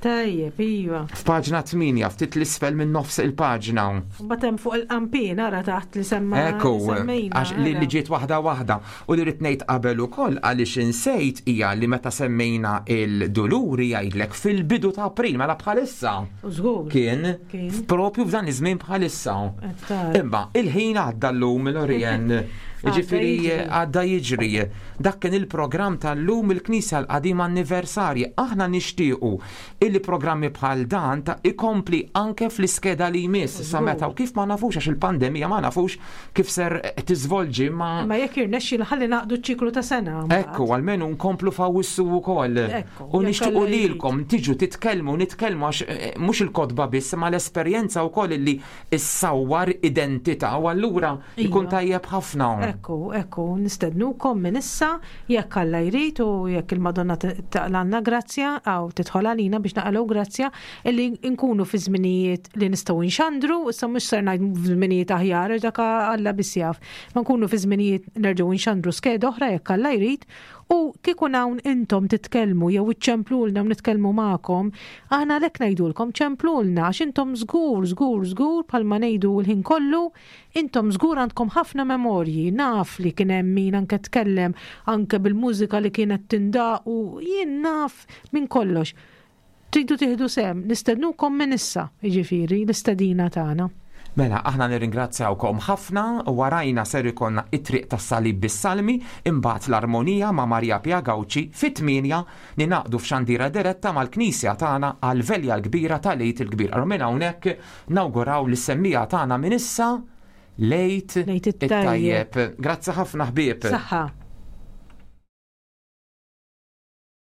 Tajjeb, iva. F'paġna 8, ftit l-isfel minn nofs il-paġna. Mbagħad hemm fuq il-qampin ara taħt li semma. Ekku, semmejna, għax li ara. li ġiet waħda waħda. U li rrid ngħid qabel ukoll għaliex insejt hija li meta semmejna il-Duluri jgħidlek fil-bidu ta' April, mela bħalissa. U żgur. Kien, Kien. propju f'dan iż-żmien bħalissa. Qed tara. Imma il-ħin għadda llum l-Orien. Ġifieri jiġri. għadda jiġri. Dak kien il-programm tal-lum il-Knisja l-Qadima anniversarji. Aħna nixtiequ illi programmi bħal dan ta' ikompli anke fl-iskeda li jmiss sa meta u kif ma nafux għax il-pandemija ma nafux kif ser tiżvolġi ma Ma jekk jirnexxi ħalli naqdu ċ-ċiklu ta' sena. mbagħad. Ekku, għalmenu nkomplu f'Awwissu wkoll. Ekku, U jekk nixtiequ Alla jrid. lilkom tiġu titkellmu, nitkellmu għax mhux il-kotba biss, ma l-esperjenza wkoll illi issawwar identità u allura jkun Iva. tajjeb ħafna. Ekku, ekku, nistednukom minn issa jekk Alla jrid u jekk il-Madonna taqlanna grazzja għaw tidħol għalina biex naqalgħu grazzja illi nkunu fi żminijiet li nistgħu nxandru, issa mhux ser ngħid f'żminijiet aħjar għax dak Alla biss jaf. Ma nkunu fi żminijiet nerġgħu nxandru skeda oħra jekk Alla jrid u kieku hawn intom titkellmu jew iċċemplulna u nitkellmu magħkom, aħna għalhekk ngħidulkom ċemplulna għax intom żgur, żgur, żgur bħalma ngħidu l-ħin kollu, intom żgur għandkom ħafna memorji, naf li kien hemm min anke tkellem anke bil-mużika li kienet tindaq u jien naf minn kollox. Tridu tieħdu sehem, nistednukom minn issa, jiġifieri, l-istedina tagħna. Mela, aħna nirringrazzjawkom ħafna, warajna ser ikollna it-triq tas-salib bis-salmi, imbagħad l-armonija ma' Maria Pia Gauci fit-8 ninaqdu f'xandira diretta mal-Knisja tagħna għall-velja l-kbira tal-Għid il-Kbir. Allura minn hawnhekk nawguraw lis-semmija tagħna minn issa l-Għid L-Għid it-tajjeb. it-tajjeb. Grazzi ħafna ħbieb. Saħħa.